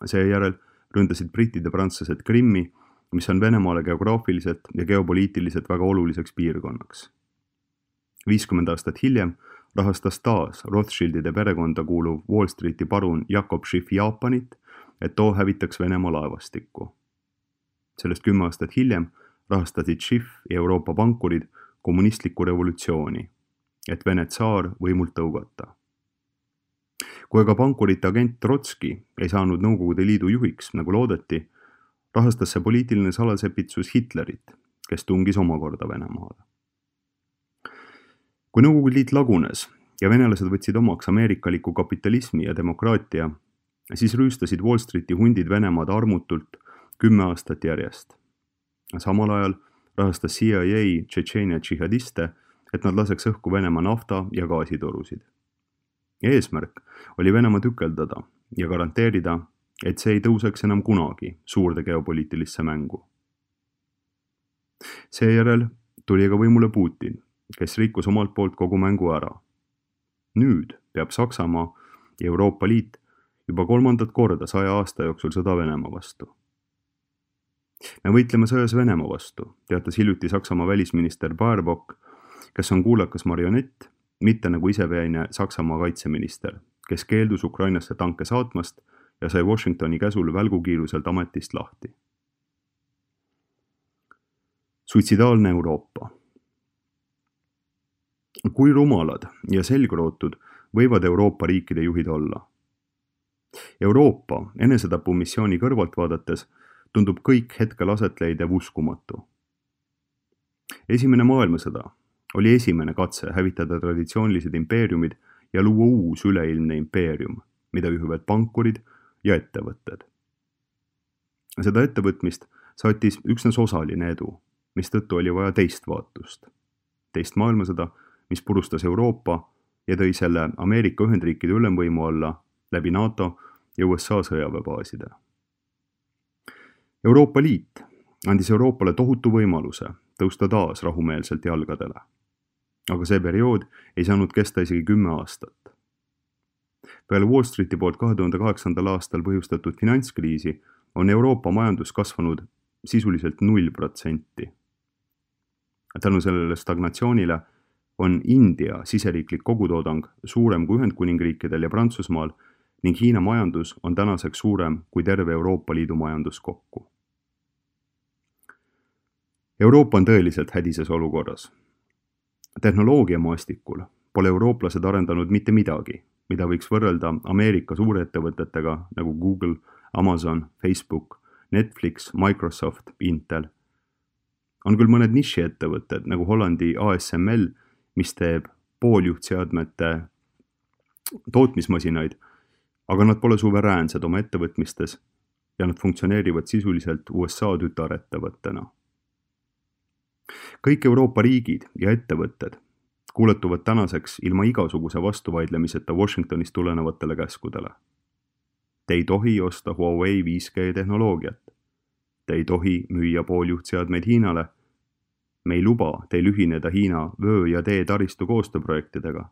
Seejärel ründasid britid ja prantslased Krimmi, mis on Venemaale geograafiliselt ja geopoliitiliselt väga oluliseks piirkonnaks. 50 aastat hiljem rahastas taas Rothschildide perekonda kuuluv Wall Streeti parun Jakob Schiff Jaapanit, et too hävitaks Venemaa laevastikku. Sellest 10 aastat hiljem rahastasid Schiff ja Euroopa pankurid kommunistlikku revolutsiooni, et Vene tsaar võimult tõugata. Kui aga pankurite agent Trotski ei saanud Nõukogude Liidu juhiks, nagu loodeti, rahastas see poliitiline salasepitsus Hitlerit, kes tungis omakorda Venemaale. Kui Nõukogude Liit lagunes ja venelased võtsid omaks ameerikaliku kapitalismi ja demokraatia, siis rüüstasid Wall Streeti hundid Venemaad armutult 10 aastat järjest. Samal ajal rahastas CIA Tšetšeenia džihadiste, et nad laseks õhku Venemaa nafta- ja gaasitorusid. Eesmärk oli Venemaa tükeldada ja garanteerida, et see ei tõuseks enam kunagi suurde geopoliitilisse mängu. Seejärel tuli aga võimule Putin, kes rikkus omalt poolt kogu mängu ära. Nüüd peab Saksamaa ja Euroopa Liit juba 3. korda 100 aasta jooksul sõda Venemaa vastu. Me võitleme sõjas Venemaa vastu, teatas hiljuti Saksamaa välisminister Baerbock, kes on kuulakas marionett, mitte nagu iseveine Saksamaa kaitseminister, kes keeldus Ukrainasse tanke saatmast ja sai Washingtoni käsul välgukiiruselt ametist lahti. Suitsidaalne Euroopa. Kui rumalad ja selgrootud võivad Euroopa riikide juhid olla? Euroopa enesetapumissiooni kõrvalt vaadates tundub kõik hetkel aset leidev uskumatu. Esimene maailmasõda oli esimene katse hävitada traditsioonilised impeeriumid ja luua uus üleilmne impeerium, mida juhivad pankurid ja ettevõtted. Seda ettevõtmist saatis üksnes osaline edu, mistõttu oli vaja teist vaatust. Teist maailmasõda, mis purustas Euroopa ja tõi selle Ameerika Ühendriikide ülemvõimu alla läbi NATO ja USA sõjaväebaaside. Euroopa Liit andis Euroopale tohutu võimaluse tõusta taas rahumeelselt jalgadele. Aga see periood ei saanud kesta isegi 10 aastat. Peale Wall Streeti poolt 2008. aastal põhjustatud finantskriisi on Euroopa majandus kasvanud sisuliselt 0%. Tänu sellele stagnatsioonile on India siseriiklik kogutoodang suurem kui Ühendkuningriikidel ja Prantsusmaal ning Hiina majandus on tänaseks suurem kui terve Euroopa Liidu majandus kokku. Euroopa on tõeliselt hädises olukorras. Tehnoloogia maastikul pole eurooplased arendanud mitte midagi, mida võiks võrrelda Ameerika suurettevõtetega nagu Google, Amazon, Facebook, Netflix, Microsoft, Intel. On küll mõned nišiettevõtted nagu Hollandi ASML, mis teeb pooljuhtseadmete tootmismasinaid, aga nad pole suveräänsed oma ettevõtmistes ja nad funktsioneerivad sisuliselt USA tütarettevõttena. Kõik Euroopa riigid ja ettevõtted kuuletuvad tänaseks ilma igasuguse vastuvaidlemiseta Washingtonist tulenevatele käskudele. Te ei tohi osta Huawei 5G tehnoloogiat. Te ei tohi müüa pooljuhtseadmeid Hiinale. Me ei luba teil ühineda Hiina vöö- ja taristu koostööprojektidega.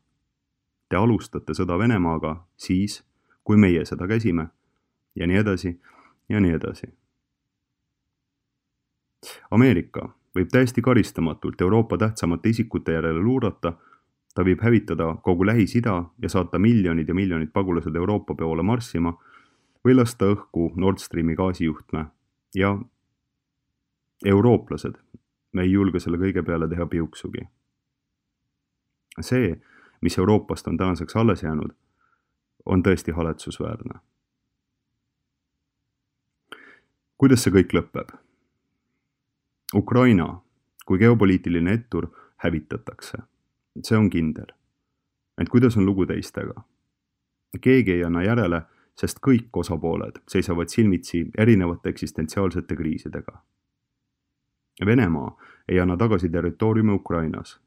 Te alustate sõda Venemaaga siis, kui meie seda käsime ja nii edasi ja nii edasi. Ameerika võib täiesti karistamatult Euroopa tähtsamate isikute järele luurata, ta võib hävitada kogu Lähis-Ida ja saata miljonid ja miljonid pagulased Euroopa poole marssima või lasta õhku Nord Streami gaasijuhtme ja eurooplased, me ei julge selle kõige peale teha piuksugi. See, mis Euroopast on tänaseks alles jäänud, on tõesti haletsusväärne. Kuidas see kõik lõpeb? Ukraina kui geopoliitiline ettur hävitatakse. See on kindel. Ent kuidas on lugu teistega? Keegi ei anna järele, sest kõik osapooled seisavad silmitsi erinevate eksistentsiaalsete kriisidega. Venemaa ei anna tagasi territooriumi Ukrainas.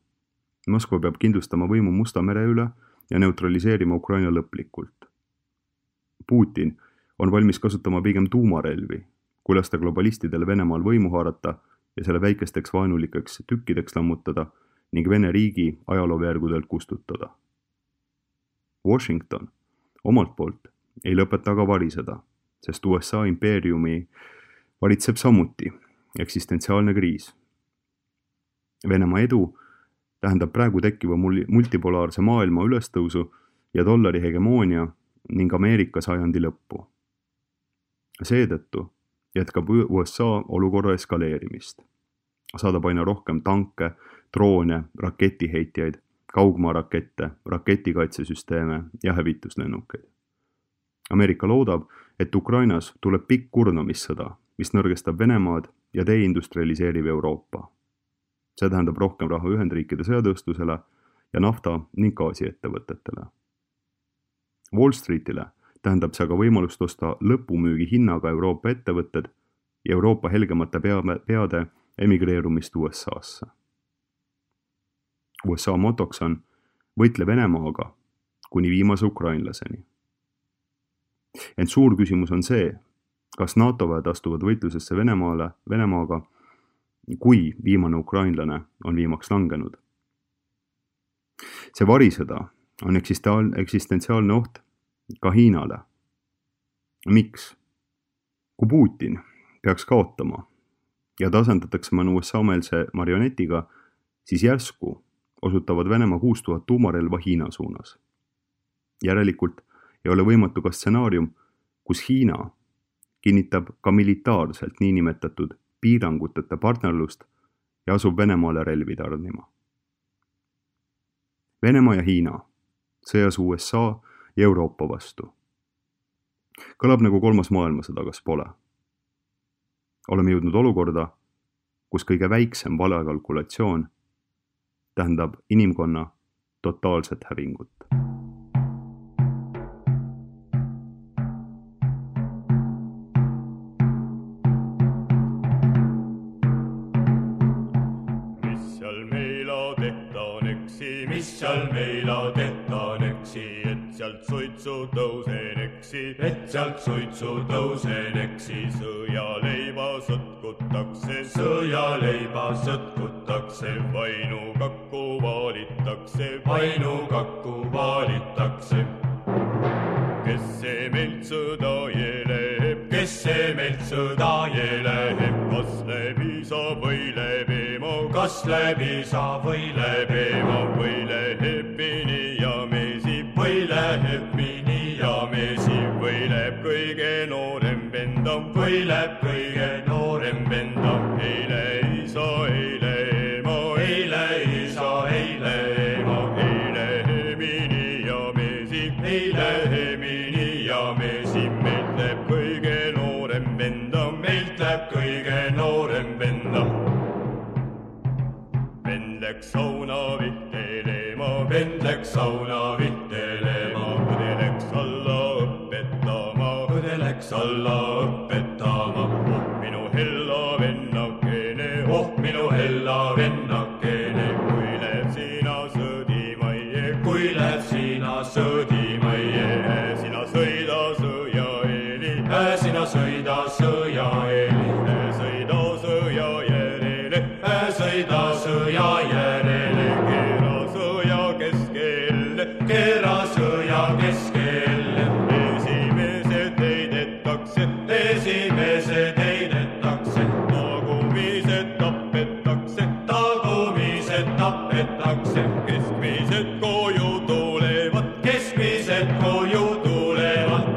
Moskva peab kindlustama võimu Musta mere üle ja neutraliseerima Ukraina lõplikult. Putin on valmis kasutama pigem tuumarelvi, kui lasta globalistidele Venemaal võimu haarata ja selle väikesteks vaenulikeks tükkideks lammutada ning Vene riigi ajalooveergudelt kustutada. Washington omalt poolt ei lõpeta aga variseda, sest USA impeeriumi valitseb samuti eksistentsiaalne kriis. Venemaa edu tähendab praegu tekkiva multipolaarse maailma ülestõusu ja dollari hegemoonia ning Ameerika sajandi lõppu. Seetõttu jätkab USA olukorra eskaleerimist. Saadab aina rohkem tanke, droone, raketiheitjaid, kaugmaarakette, raketikaitsesüsteeme ja hävituslennukeid. Ameerika loodab, et Ukrainas tuleb pikk kurnamissõda, mis nõrgestab Venemaad ja deindustrialiseerib Euroopa. See tähendab rohkem raha Ühendriikide sõjatööstusele ja nafta- ning gaasiettevõtetele. Wall Streetile tähendab see aga võimalust osta lõpumüügi hinnaga Euroopa ettevõtted ja Euroopa helgemate peade emigreerumist USA-sse. USA motoks on võitle Venemaaga kuni viimase ukrainlaseni. Ent suur küsimus on see, kas NATO väed astuvad võitlusesse Venemaaga, kui viimane ukrainlane on viimaks langenud. See varisõda on eksistentsiaalne oht ka Hiinale. Miks? Kui Putin peaks kaotama ja ta asendatakse mõne USA-meelse marionetiga, siis järsku osutavad Venemaa 6000 tuumarelva Hiina suunas. Järelikult ei ole võimatu ka stsenaarium, kus Hiina kinnitab ka militaarselt niinimetatud piiranguteta partnerlust ja asub Venemaale relvi tarnima. Venemaa ja Hiina sõjas USA ja Euroopa vastu. Kõlab nagu 3. maailmasõda, kas pole? Oleme jõudnud olukorda, kus kõige väiksem valekalkulatsioon tähendab inimkonna totaalset hävingut. sealt suitsu tõuseneksi, et sealt suitsu tõuseneksi. Sõjaleiba sõtkutakse, sõjaleiba sõtkutakse, vainukakku vaalitakse, vainukakku vaalitakse. Kes see meilt sõda jeleb, kes see meilt sõda jeleb, kas läbi sa või läbi ema, kas läbi sa või läbi ema, või läheb mini ja mesi, või läheb mini ja mesi, või läheb kõige noorem vendam, või läheb kõige noorem vendam, eile isa, eile ema, eile isa, eile ema, eile mini ja mesi, eile mini ja mesi, meilt läheb kõige noorem vendam, meilt läheb kõige noorem vendam. Vend läks sauna vihtelema, vend läks sauna vihtelema, õde läks alla õpetama, õde läks alla õpetama. Oh minu hella vennakene, oh minu hella vennakene, kui lähed sina sõdimaie, kui lähed sina sõdimaie, sina sõida sõjaeeli, sina sõida sõjaeeli, sõida sõja järele, sõida sõja järele, keera sõja keskelle, keera sõja keskelle. Esimesed heidetakse, esimesed heidetakse, tagumised tapetakse, tagumised tapetakse, keskmised koju tulevad, keskmised koju tulevad.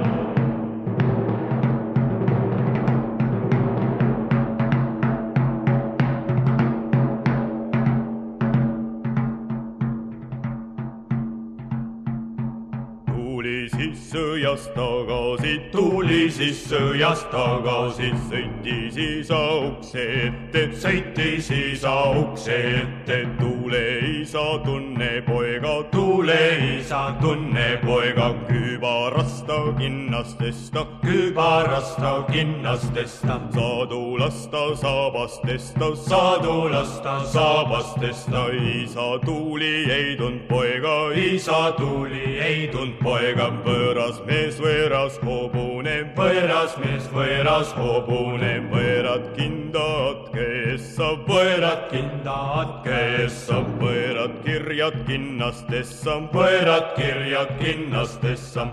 Tuli siis sõjast tagasi, tuli siis sõjast tagasi, sõitis isa ukse ette, sõitis isa ukse ette, tule isa tunne poega, tule isa tunne poega, kübarasta kinnastesta, kübarasta kinnastesta, saadulasta saabastesta, saadulasta saabastesta, isa tuli ei tund poega, isa tuli ei tund poega, võõras mees võõras hobune, võõras mees võõras hobune, võõrad kindad keessa, võõrad kindad keessa, võõrad kirjad kinnastessa, võõrad kirjad kinnastessa.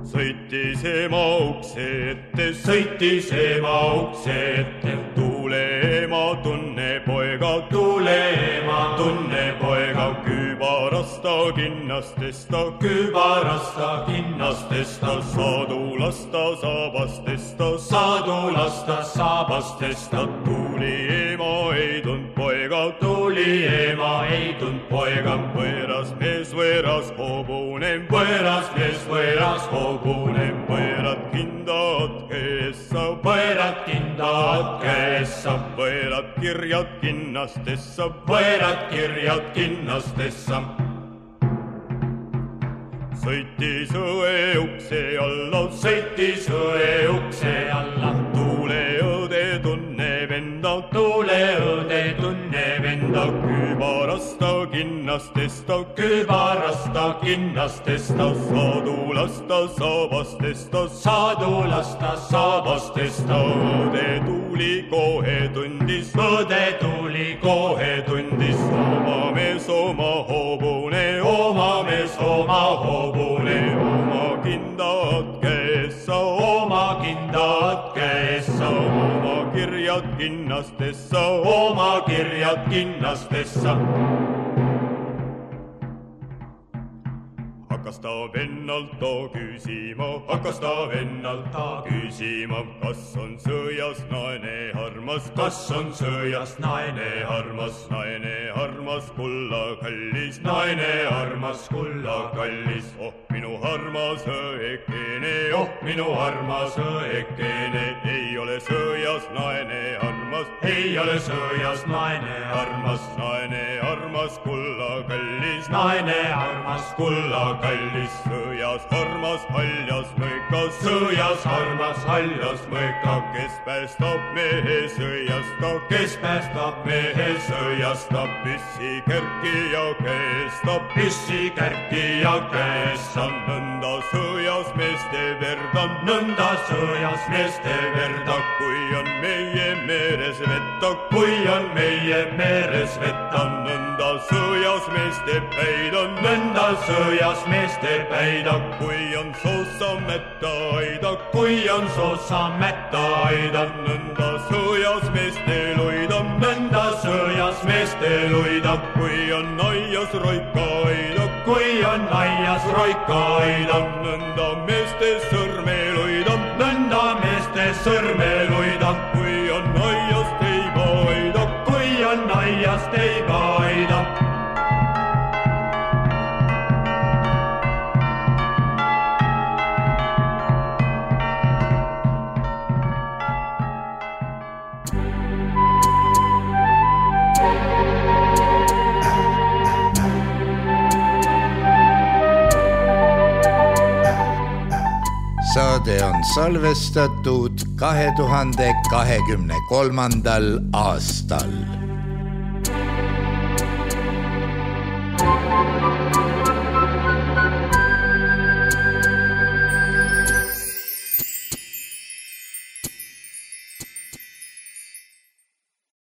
Sõitis ema ukse ette, sõitis ema ukse ette, tule ema tunne poega, tule ema tunne poega, kübarasta kinnastesta, kübarasta kinnastesta, saadulasta saabastesta, saadulasta saabastesta, tuli ema ei tund poega, tuli ema ei tund poega, võõras mees võõras hobune, võõras mees võõras hobune, võõrad kindad keessa, võõrad kindad keessa, võõrad kirjad kinnastessa, võõrad kirjad kinnastessa. Sõitis õe ukse alla, sõitis õe ukse alla, tule õde tunne venda, tule õde tunne venda, kübarasta kinnastesta, kübarasta kinnastesta, saadulasta saabastesta, saadulasta saabastesta, õde tuli kohe tundis, õde tuli kohe tundis, oma mees oma hobune, oma mees oma hobune, oma kindad keessa, oma kindad keessa, oma kirjad kinnastessa, oma kirjad kinnastessa. Hakkas ta vennalt ta küsima, hakkas ta vennalt ta küsima, kas on sõjas naine armas, kas on sõjas naine armas, naine armas kulla kallis, naine armas kulla kallis, oh minu armas õekene, oh minu armas õekene, ei ole sõjas naine armas, ei ole sõjas naine armas kulla kallis, naine armas kulla kallis. Sõjas armas haljas mõika, sõjas armas haljas mõika. Kes päästab mehe sõjast, kes päästab mehe sõjast. Püssi kärkija käest, püssi kärkija käest. Nõnda sõjas meeste verda, nõnda sõjas meeste verda. Kui on meie meres vetta, kui on meie meres vetta. Nõnda sõjas meeste päida, nõnda sõjas meeste päida. Kui on soosa mätta aida, kui on soosa mätta aida. Nõnda sõjas meeste loida, nõnda sõjas meeste loida. Kui on aias roika aida, kui on aias roika aida. Nõnda meeste sõrme loida, nõnda meeste sõrme loida. Kui on aias teiba aida, kui on aias teiba aida. Saade on salvestatud 2023. aastal.